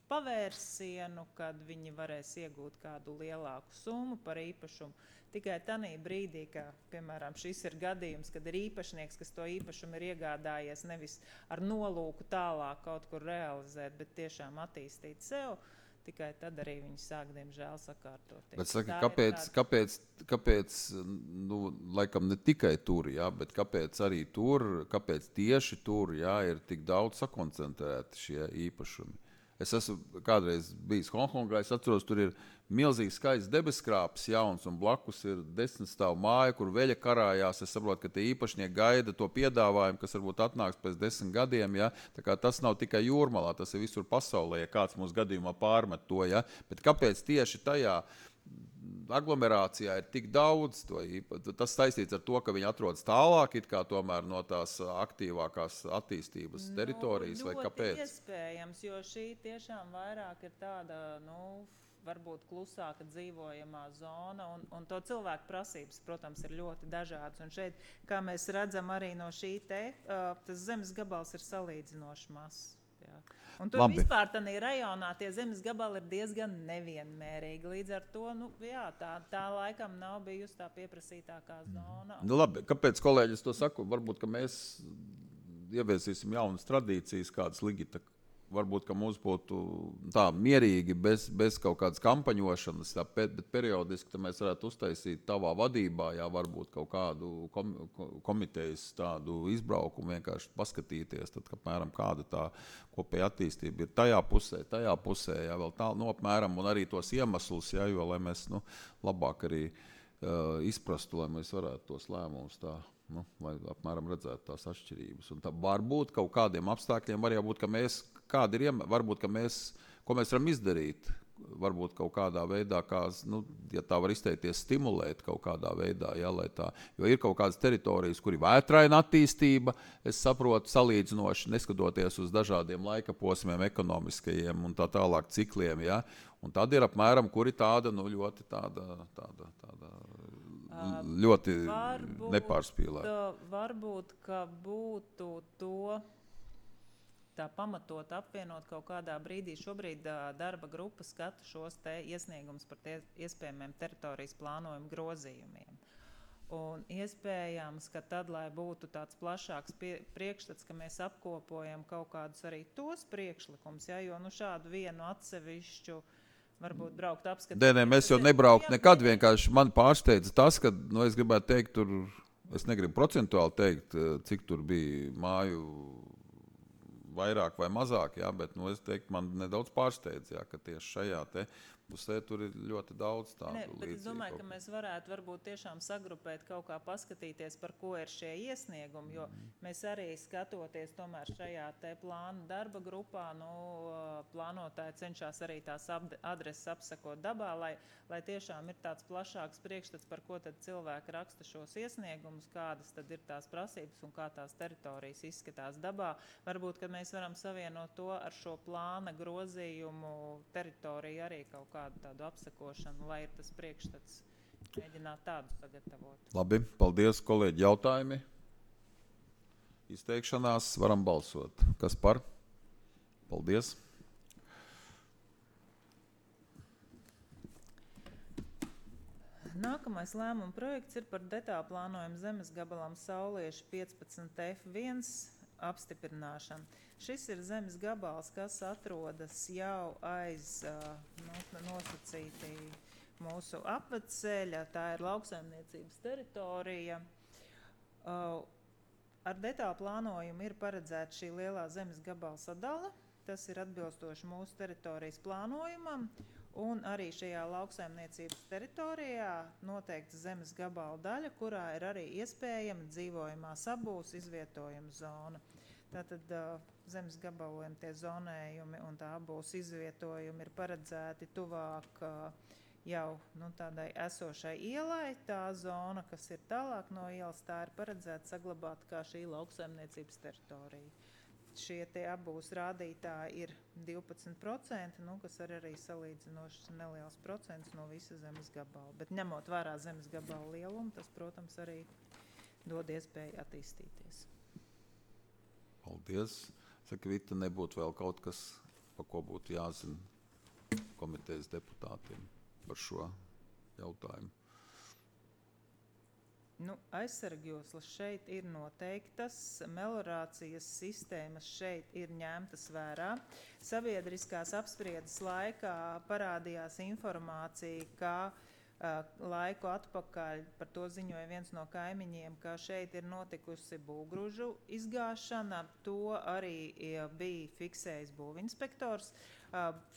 pavērsienu, kad viņi varēs iegūt kādu lielāku summu par īpašumu. Tikai tanī brīdī, ka, piemēram, šis ir gadījums, kad ir īpašnieks, kas to īpašumu ir iegādājies nevis ar nolūku tālāk kaut kur realizēt, bet tiešām attīstīt sev, tikai tad arī viņi sāk, diemžēl, sakārtoties. Bet saka, kāpēc, tāda... kāpēc, kāpēc, nu, laikam ne tikai tur, jā, bet kāpēc arī tur, kāpēc tieši tur, jā, ir tik daudz sakoncentrēti šie īpašumi? Es esmu kādreiz bijis Hongkongā, es atceros, tur ir milzīgs skaists debeskrāpes jauns, un blakus ir desmit stāvu māja, kur veļa karājās. Es saprotu, ka tie īpašnieki gaida to piedāvājumu, kas varbūt atnāks pēc desmit gadiem. Ja? Tā kā tas nav tikai Jūrmalā, tas ir visur pasaulē, ja kāds mūsu gadījumā pārmet to. Ja? Bet kāpēc tieši tajā aglomerācijā ir tik daudz to īpaši? Tas saistīts ar to, ka viņi atrodas tālāk, it kā tomēr no tās aktīvākās attīstības teritorijas, nu, vai kāpēc? Ļoti iespējams, jo šī tiešām vairāk ir tāda, nu, varbūt klusāka dzīvojamā zona, un, un to cilvēku prasības, protams, ir ļoti dažādas. Un šeit, kā mēs redzam arī no šī te, uh, tas zemes gabals ir salīdzinoši mazs. Jā. Un tur Labi. vispār tādā rajonā tie zemes gabali ir diezgan nevienmērīgi. Līdz ar to, nu, jā, tā, tā laikam nav bijusi tā pieprasītākā zona. Nu, labi, kāpēc kolēģis to saku? Varbūt, ka mēs ieviesīsim jaunas tradīcijas, kādas Ligita. Varbūt, ka mums būtu tā mierīgi, bez, bez kaut kādas kampaņošanas, tā, bet periodiski mēs varētu uztaisīt tavā vadībā, jā, varbūt kaut kādu kom, komitejas tādu izbraukumu, vienkārši paskatīties, tad, apmēram, kāda tā kopēja attīstība ir tajā pusē, tajā pusē, jā, vēl tā, nu, apmēram, un arī tos iemeslus, jā, jo, lai mēs, nu, labāk arī uh, izprastu, lai mēs varētu tos lēmumus tā. Nu, lai apmēram redzētu tās atšķirības. Un tā varbūt kaut kādiem apstākļiem var jābūt, ka mēs, kādi ir iem, varbūt, ka mēs, ko mēs varam izdarīt, varbūt kaut kādā veidā, kā, nu, ja tā var izteikties, stimulēt kaut kādā veidā, ja, lai tā, jo ir kaut kādas teritorijas, kur ir vētraina attīstība, es saprotu, salīdzinoši, neskatoties uz dažādiem laika posmiem, ekonomiskajiem un tā tālāk cikliem, ja, un tad ir apmēram, kuri tāda, nu, ļoti tāda, tāda, tāda, ļoti varbūt, nepārspīlēta. Varbūt, ka būtu to tā pamatot apvienot kaut kādā brīdī. Šobrīd darba grupa skata šos te iesniegumus par tie iespējamiem teritorijas plānojumu grozījumiem. Un iespējams, ka tad, lai būtu tāds plašāks pie, priekšstats, ka mēs apkopojam kaut kādus arī tos priekšlikumus, ja, jo nu šādu vienu atsevišķu varbūt braukt apskatīt. Nē, nē, mēs jau nebraukt nekad, vienkārši man pārsteidza tas, ka, nu, es gribētu teikt, tur, es negribu procentuāli teikt, cik tur bija māju vairāk vai mazāk, jā, bet, nu, es teiktu, man nedaudz pārsteidz, jā, ka tieši šajā te pusē tur ir ļoti daudz tādu ne, līdzību. Bet es domāju, ka mēs varētu varbūt tiešām sagrupēt kaut kā paskatīties, par ko ir šie iesniegumi, jo mm. mēs arī skatoties tomēr šajā te plānu darba grupā, nu, plānotāji cenšas arī tās adreses apsakot dabā, lai, lai tiešām ir tāds plašāks priekšstats, par ko tad cilvēki raksta šos iesniegumus, kādas tad ir tās prasības un kā tās teritorijas izskatās dabā. Varbūt, ka mēs varam savienot to ar šo plāna grozījumu teritoriju arī kaut kā kādu tādu apsakošanu, lai ir tas priekšstats, mēģināt tādu sagatavot. Labi, paldies, kolēģi, jautājumi. Izteikšanās varam balsot. Kas par? Paldies. Nākamais lēmuma projekts ir par detālu plānojumu zemes gabalam Saulieši piecpadsmit F viens apstiprināšanu. Šis ir zemes gabals, kas atrodas jau aiz nu, nosacītī mūsu apvedceļa. Tā ir lauksaimniecības teritorija. Ar detālu plānojumu ir paredzēta šī lielā zemes gabala sadala. Tas ir atbilstoši mūsu teritorijas plānojumam. Un arī šajā lauksaimniecības teritorijā noteikta zemes gabala daļa, kurā ir arī iespējama dzīvojamā sabūs izvietojuma zona. Tātad uh, zemes gabaliem tie zonējumi un tā abūs izvietojumi ir paredzēti tuvāk uh, jau nu, tādai esošai ielai. Tā zona, kas ir tālāk no ielas, tā ir paredzēta saglabāt kā šī lauksaimniecības teritorija. Šie tie abūs rādītāji ir divpadsmit procenti, nu, kas ir arī salīdzinoši neliels procents no visa zemes gabala. Bet ņemot vērā zemes gabala lielumu, tas, protams, arī dod iespēju attīstīties. Paldies. Saka, Vita, nebūtu vēl kaut kas, par ko būtu jāzina komitejas deputātiem par šo jautājumu. Nu, aizsargjoslas šeit ir noteiktas, meliorācijas sistēmas šeit ir ņemtas vērā. Sabiedriskās apspriedes laikā parādījās informācija, ka laiku atpakaļ par to ziņoja viens no kaimiņiem, ka šeit ir notikusi būvgrūžu izgāšana. To arī bija fiksējis būvinspektors.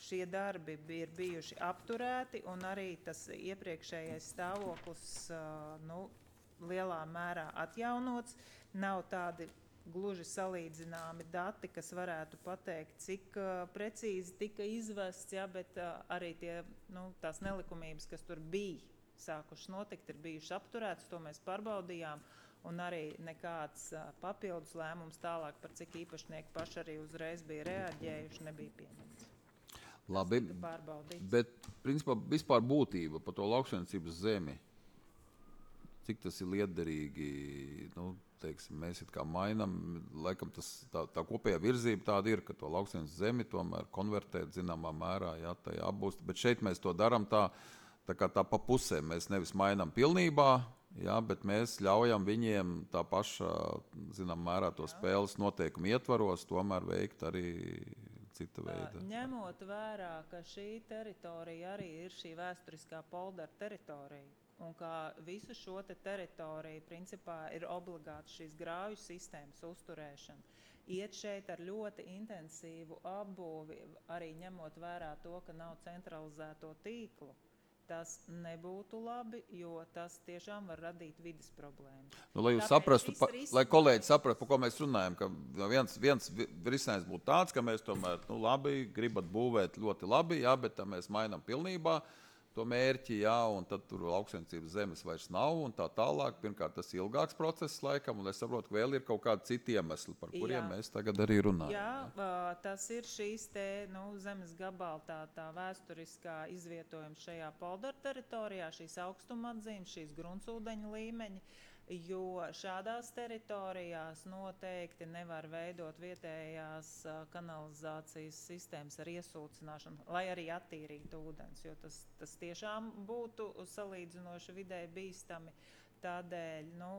Šie darbi ir bijuši apturēti un arī tas iepriekšējais stāvoklis nu, lielā mērā atjaunots. Nav tādi gluži salīdzināmi dati, kas varētu pateikt, cik uh, precīzi tika izvests, ja, bet uh, arī tie, nu, tās nelikumības, kas tur bija sākušas notikt, ir bijušas apturētas, to mēs pārbaudījām, un arī nekāds uh, papildus lēmums tālāk, par cik īpašnieki paši arī uzreiz bija reaģējuši, nebija pieņemts. Labi, tiktu pārbaudīts. bet principā vispār būtība par to lauksaimniecības zemi, cik tas ir liederīgi, nu, teiksim, mēs it kā mainam, laikam tas, tā, tā kopējā virzība tāda ir, ka to lauksaimniecības zemi tomēr konvertēt zināmā mērā, jā, tā jāapbūst, bet šeit mēs to daram tā, tā kā tā pa pusēm, mēs nevis mainam pilnībā, jā, bet mēs ļaujam viņiem tā paša, zinām, mērā to spēles noteikumu ietvaros, tomēr veikt arī cita veida. Ņemot vērā, ka šī teritorija arī ir šī vēsturiskā poldera teritorija, un kā visu šo te teritoriju principā ir obligāti šīs grāvju sistēmas uzturēšana, iet šeit ar ļoti intensīvu apbūvi, arī ņemot vērā to, ka nav centralizēto tīklu. Tas nebūtu labi, jo tas tiešām var radīt vides problēmas. Nu, lai jūs Tāpēc saprastu, pa, viss lai risinājums- kolēģi saprastu, par ko mēs runājam, ka viens, viens vi- risinājums būtu tāds, ka mēs tomēr, nu labi, gribat būvēt ļoti labi, jā, bet tā mēs mainam pilnībā to mērķi, jā, un tad tur lauksaimniecības zemes vairs nav un tā tālāk. Pirmkārt, tas ir ilgāks process laikam, un es saprotu, ka vēl ir kaut kādi citi iemesli, par kuriem Jā. mēs tagad arī runājam. Jā, ā, tas ir šīs te, nu, zemes gabala tā, tā vēsturiskā izvietojuma šajā poldera teritorijā, šīs augstuma atzīmes, šīs gruntsūdeņa līmeņi, jo šādās teritorijās noteikti nevar veidot vietējās ā, kanalizācijas sistēmas ar iesūcināšanu, lai arī attīrītu ūdens, jo tas, tas tiešām būtu salīdzinoši vidēji bīstami. Tādēļ, nu,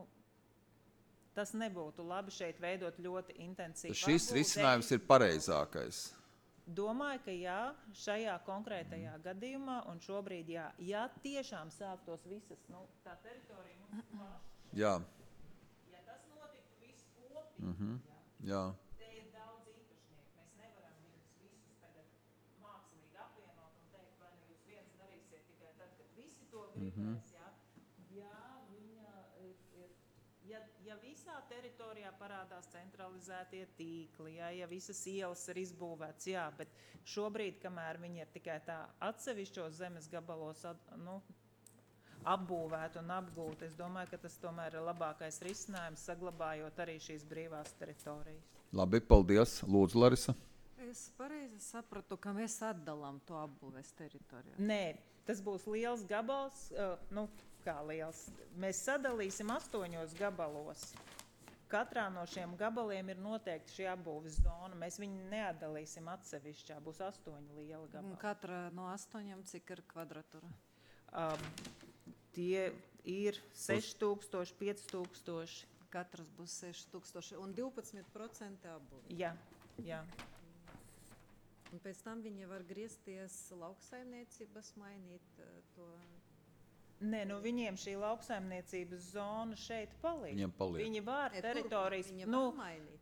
tas nebūtu labi šeit veidot ļoti intensīvu. Šis apbūvi. risinājums ir pareizākais. Domāju, ka jā, šajā konkrētajā gadījumā, un šobrīd jā, ja tiešām sāktos visas, nu, tā teritorija mums paša, Jā, ja tas notiktu viss kopīgi, mhm, jā, jā. te ir daudz īpašnieku, mēs nevaram viņus visus tagad mākslīgi apvienot un teikt, vai nu jūs viens darīsiet tikai tad, kad visi to gribēs, jā. Jā, viņa ir, ir ja, ja visā teritorijā parādās centralizētie tīkli, jā, ja visas ielas ir izbūvēts, jā, bet šobrīd, kamēr viņi ir tikai tā atsevišķos zemes gabalos, at, nu, apbūvēt un apgūt, es domāju, ka tas tomēr ir labākais risinājums, saglabājot arī šīs brīvās teritorijas. Labi, paldies. Lūdzu, Larisa. Es pareizi sapratu, ka mēs atdalām to apbūves teritoriju. Nē, tas būs liels gabals, uh, nu, kā liels. Mēs sadalīsim astoņos gabalos. Katrā no šiem gabaliem ir noteikti šī apbūves zona. Mēs viņu neatdalīsim atsevišķā, būs astoņi lieli Un gabali. katra no astoņiem, cik ir kvadratūra? Um, tie ir seši tūkstoši, pieci tūkstoši. Katrs būs seši tūkstoši un divpadsmit procenti apbūve. Jā, jā. Un pēc tam viņi var griezties lauksaimniecības, mainīt uh, to. Nē, nu viņiem šī lauksaimniecības zona šeit paliek. Viņiem paliek. Viņi var Ne, teritorijas, turpmāk viņi nu, var mainīt.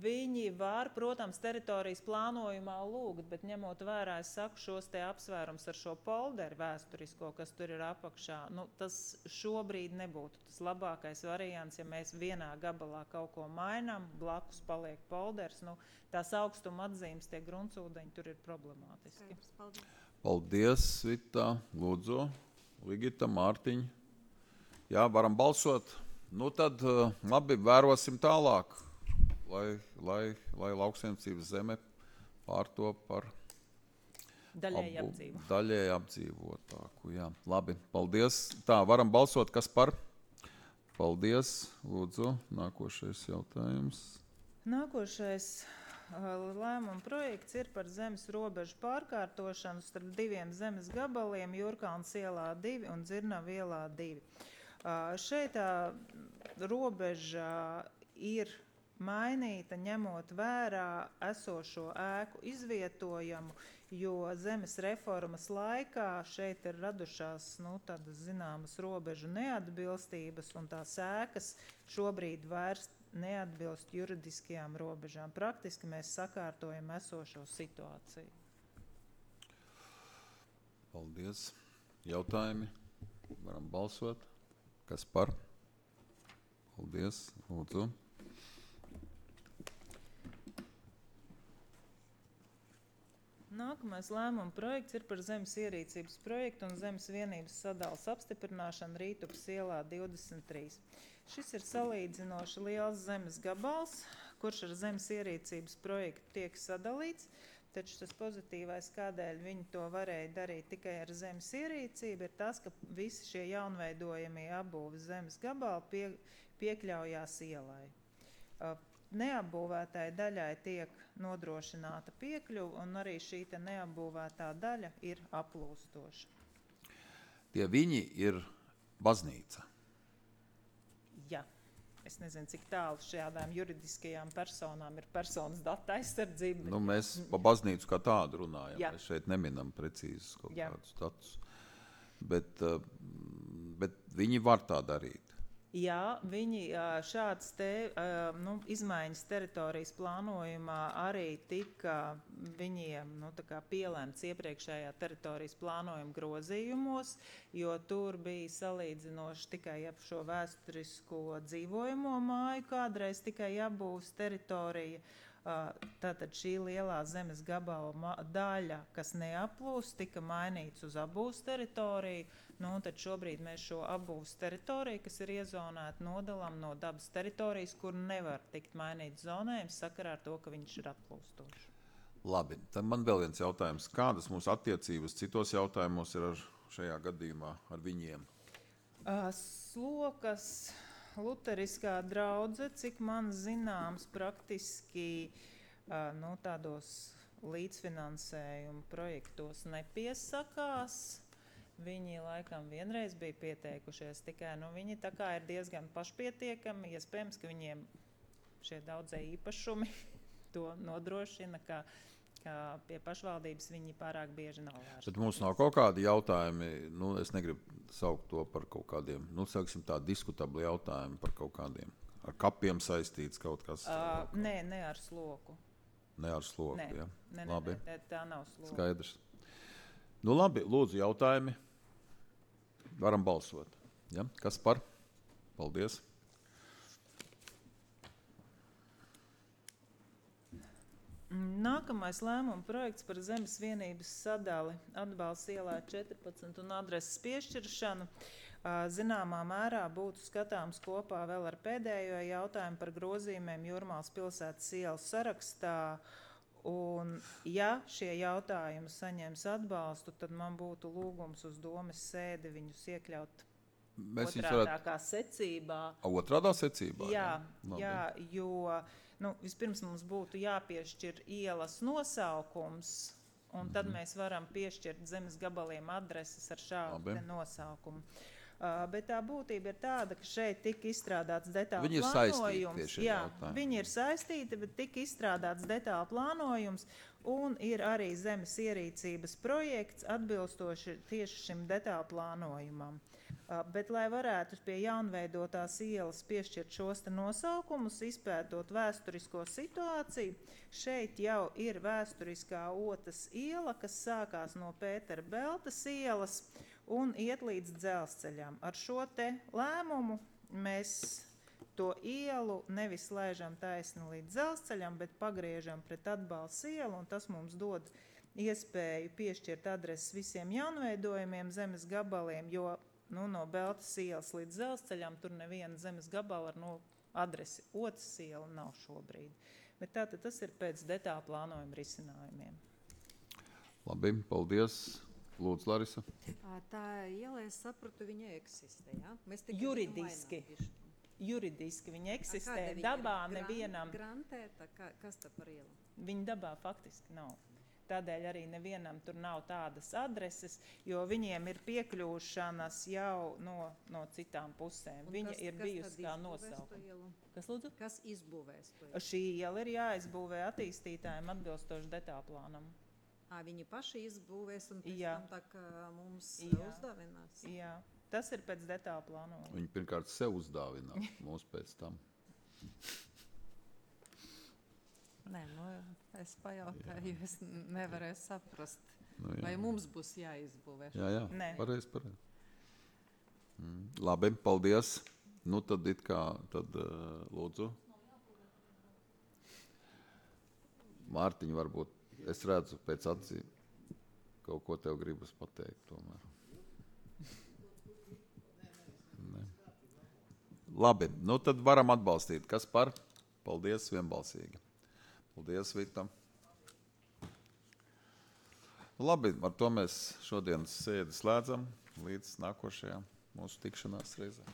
viņi var, protams, teritorijas plānojumā lūgt, bet ņemot vērā, es saku, šos te apsvērums ar šo polderu vēsturisko, kas tur ir apakšā, nu, tas šobrīd nebūtu tas labākais variants, ja mēs vienā gabalā kaut ko mainām, blakus paliek polders, nu, tās augstuma atzīmes, tie gruntsūdeņi tur ir problemātiski. Paldies. Paldies, Vita. Lūdzu, Ligita, Mārtiņa. Jā, varam balsot. Nu tad, uh, labi, vērosim tālāk, lai, lai, lai lauksaimniecības zeme pārtop par Daļēji apbū- apdzīvo. daļēji apdzīvotāku. Jā, labi, paldies. Tā, varam balsot, kas par? Paldies. Lūdzu, nākošais jautājums. Nākošais uh, lēmuma projekts ir par zemes robežu pārkārtošanu starp diviem zemes gabaliem, Jurkalns ielā divi un Dzirnavu ielā divi. Uh, šeit tā robeža ir mainīta, ņemot vērā esošo ēku izvietojumu, jo zemes reformas laikā šeit ir radušās, nu, tādas zināmas robežu neatbilstības, un tās ēkas šobrīd vairs neatbilst juridiskajām robežām. Praktiski mēs sakārtojam esošo situāciju. Paldies. Jautājumi? Varam balsot. Kas par? Paldies. Lūdzu. Nākamais lēmuma projekts ir par zemes ierīcības projektu un zemes vienības sadalas apstiprināšanu Rītupas ielā divdesmit trīs. Šis ir salīdzinoši liels zemes gabals, kurš ar zemes ierīcības projektu tiek sadalīts. Taču tas pozitīvais, kādēļ viņi to varēja darīt tikai ar zemes ierīcību, ir tas, ka visi šie jaunveidojamie apbūves zemes gabali pie, piekļaujās ielai. Neapbūvētai daļai tiek nodrošināta piekļuva, un arī šī te neapbūvētā daļa ir aplūstoša. Tie viņi ir baznīca. Jā. Es nezinu, cik tālu šādām juridiskajām personām ir personas data aizsardzība. Nu, mēs pa baznīcu kā tādu runājam. Jā. Mēs šeit neminam precīzus kaut Jā. kādus datus. Bet, bet viņi var tā darīt. Jā, viņi šāds te nu, izmaiņas teritorijas plānojumā arī tika viņiem nu, tā kā pielēmts iepriekšējā teritorijas plānojuma grozījumos, jo tur bija salīdzinoši tikai ap šo vēsturisko dzīvojamo māju, kādreiz tikai apbūves teritorija. Tātad šī lielā zemes gabala daļa, kas neaplūst, tika mainīts uz apbūves teritoriju. Nu, tad šobrīd mēs šo apbūves teritoriju, kas ir iezonēta, nodalām no dabas teritorijas, kur nevar tikt mainīts zonējums sakarā ar to, ka viņš ir aplūstošs. Labi, tad man vēl viens jautājums. Kādas mūsu attiecības citos jautājumos ir ar šajā gadījumā ar viņiem? Slokas luteriskā draudze, cik man zināms, praktiski nu, tādos līdzfinansējuma projektos nepiesakās. Viņi laikam vienreiz bija pieteikušies, tikai nu, viņi tā kā ir diezgan pašpietiekami, iespējams, ka viņiem šie daudzie īpašumi to nodrošina, ka, ka pie pašvaldības viņi pārāk bieži nav vērsti. Bet mums nav kaut kādi jautājumi, nu, es negribu saukt to par kaut kādiem, nu, sauksim tā diskutabli jautājumi par kaut kādiem, ar kapiem saistīts kaut kas. Uh, nē, ne ar sloku. Ne ar sloku, nē, ja? Nē, labi. Nē, tā nav sloka. Skaidrs. Nu, labi, lūdzu jautājumi. Varam balsot. Ja? Kas par? Paldies. Nākamais lēmuma projekts par zemes vienības sadali atbalsts ielā četrpadsmit un adreses piešķiršanu. Zināmā mērā būtu skatāms kopā vēl ar pēdējo jautājumu par grozījumiem Jūrmālas pilsētas ielas sarakstā. Un, ja šie jautājumi saņems atbalstu, tad man būtu lūgums uz domes sēdi viņus iekļaut Mēs otrādākā varētu... secībā. Otrādā secībā? Jā, jā, jā jo nu, vispirms mums būtu jāpiešķir ielas nosaukums, un tad mm-hmm. mēs varam piešķirt zemes gabaliem adreses ar šādu nosaukumu. Uh, bet tā būtība ir tāda, ka šeit tika izstrādāts detāla viņi plānojums. Jā, jautājumi. Viņi ir saistīti, bet tika izstrādāts detāla plānojums un ir arī zemes ierīcības projekts atbilstoši tieši šim detāla plānojumam. Uh, bet, lai varētu pie jaunveidotās ielas piešķirt šos te nosaukumus, izpētot vēsturisko situāciju, šeit jau ir vēsturiskā Otas iela, kas sākās no Pētera Beltas ielas un iet līdz dzelzceļam. Ar šo te lēmumu mēs to ielu nevis laižam taisni līdz dzelzceļam, bet pagriežam pret atbalsts ielu, un tas mums dod iespēju piešķirt adreses visiem jaunveidojumiem zemes gabaliem, jo nu, no Beltas ielas līdz dzelzceļam tur neviena zemes gabala ar no adresi Otas iela nav šobrīd. Bet tātad tas ir pēc detāla plānojuma risinājumiem. Labi, paldies. Lūdzu, Larisa. Tā iela, es sapratu, viņa eksistē, ja? Mēs juridiski. Juridiski viņa eksistē. Dabā viņa nevienam. Grantēta, kas tā par ielu? Viņa dabā faktiski nav. Tādēļ arī nevienam tur nav tādas adreses, jo viņiem ir piekļūšanas jau no, no citām pusēm. Un viņa kas, ir bijusi kā nosaukuma. Kas lūdzu? Kas izbūvēs to ielu? Šī iela ir jāizbūvē attīstītājiem atbilstoši detāla plānam. À, viņi paši izbūvēs un pēc Jā. tam tā kā mums Jā. uzdāvinās. Jā, tas ir pēc detāla plānojuma. Viņi pirmkārt sev uzdāvinās, mūs pēc tam. Nē, nu, es pajautāju, jo es nevarēju saprast, Nu, jā. vai mums būs jāizbūvē. Jā, jā, Nē. pareizi, pareizi. Mm. Labi, paldies. Nu, tad it kā, tad uh, lūdzu. Mārtiņa, varbūt, es redzu pēc acīm, kaut ko tev gribas pateikt tomēr. Ne. Labi, nu tad varam atbalstīt. Kas par? Paldies vienbalsīgi. Paldies, Vita. Labi, ar to mēs šodienas sēdi slēdzam līdz nākošajām mūsu tikšanās reizēm.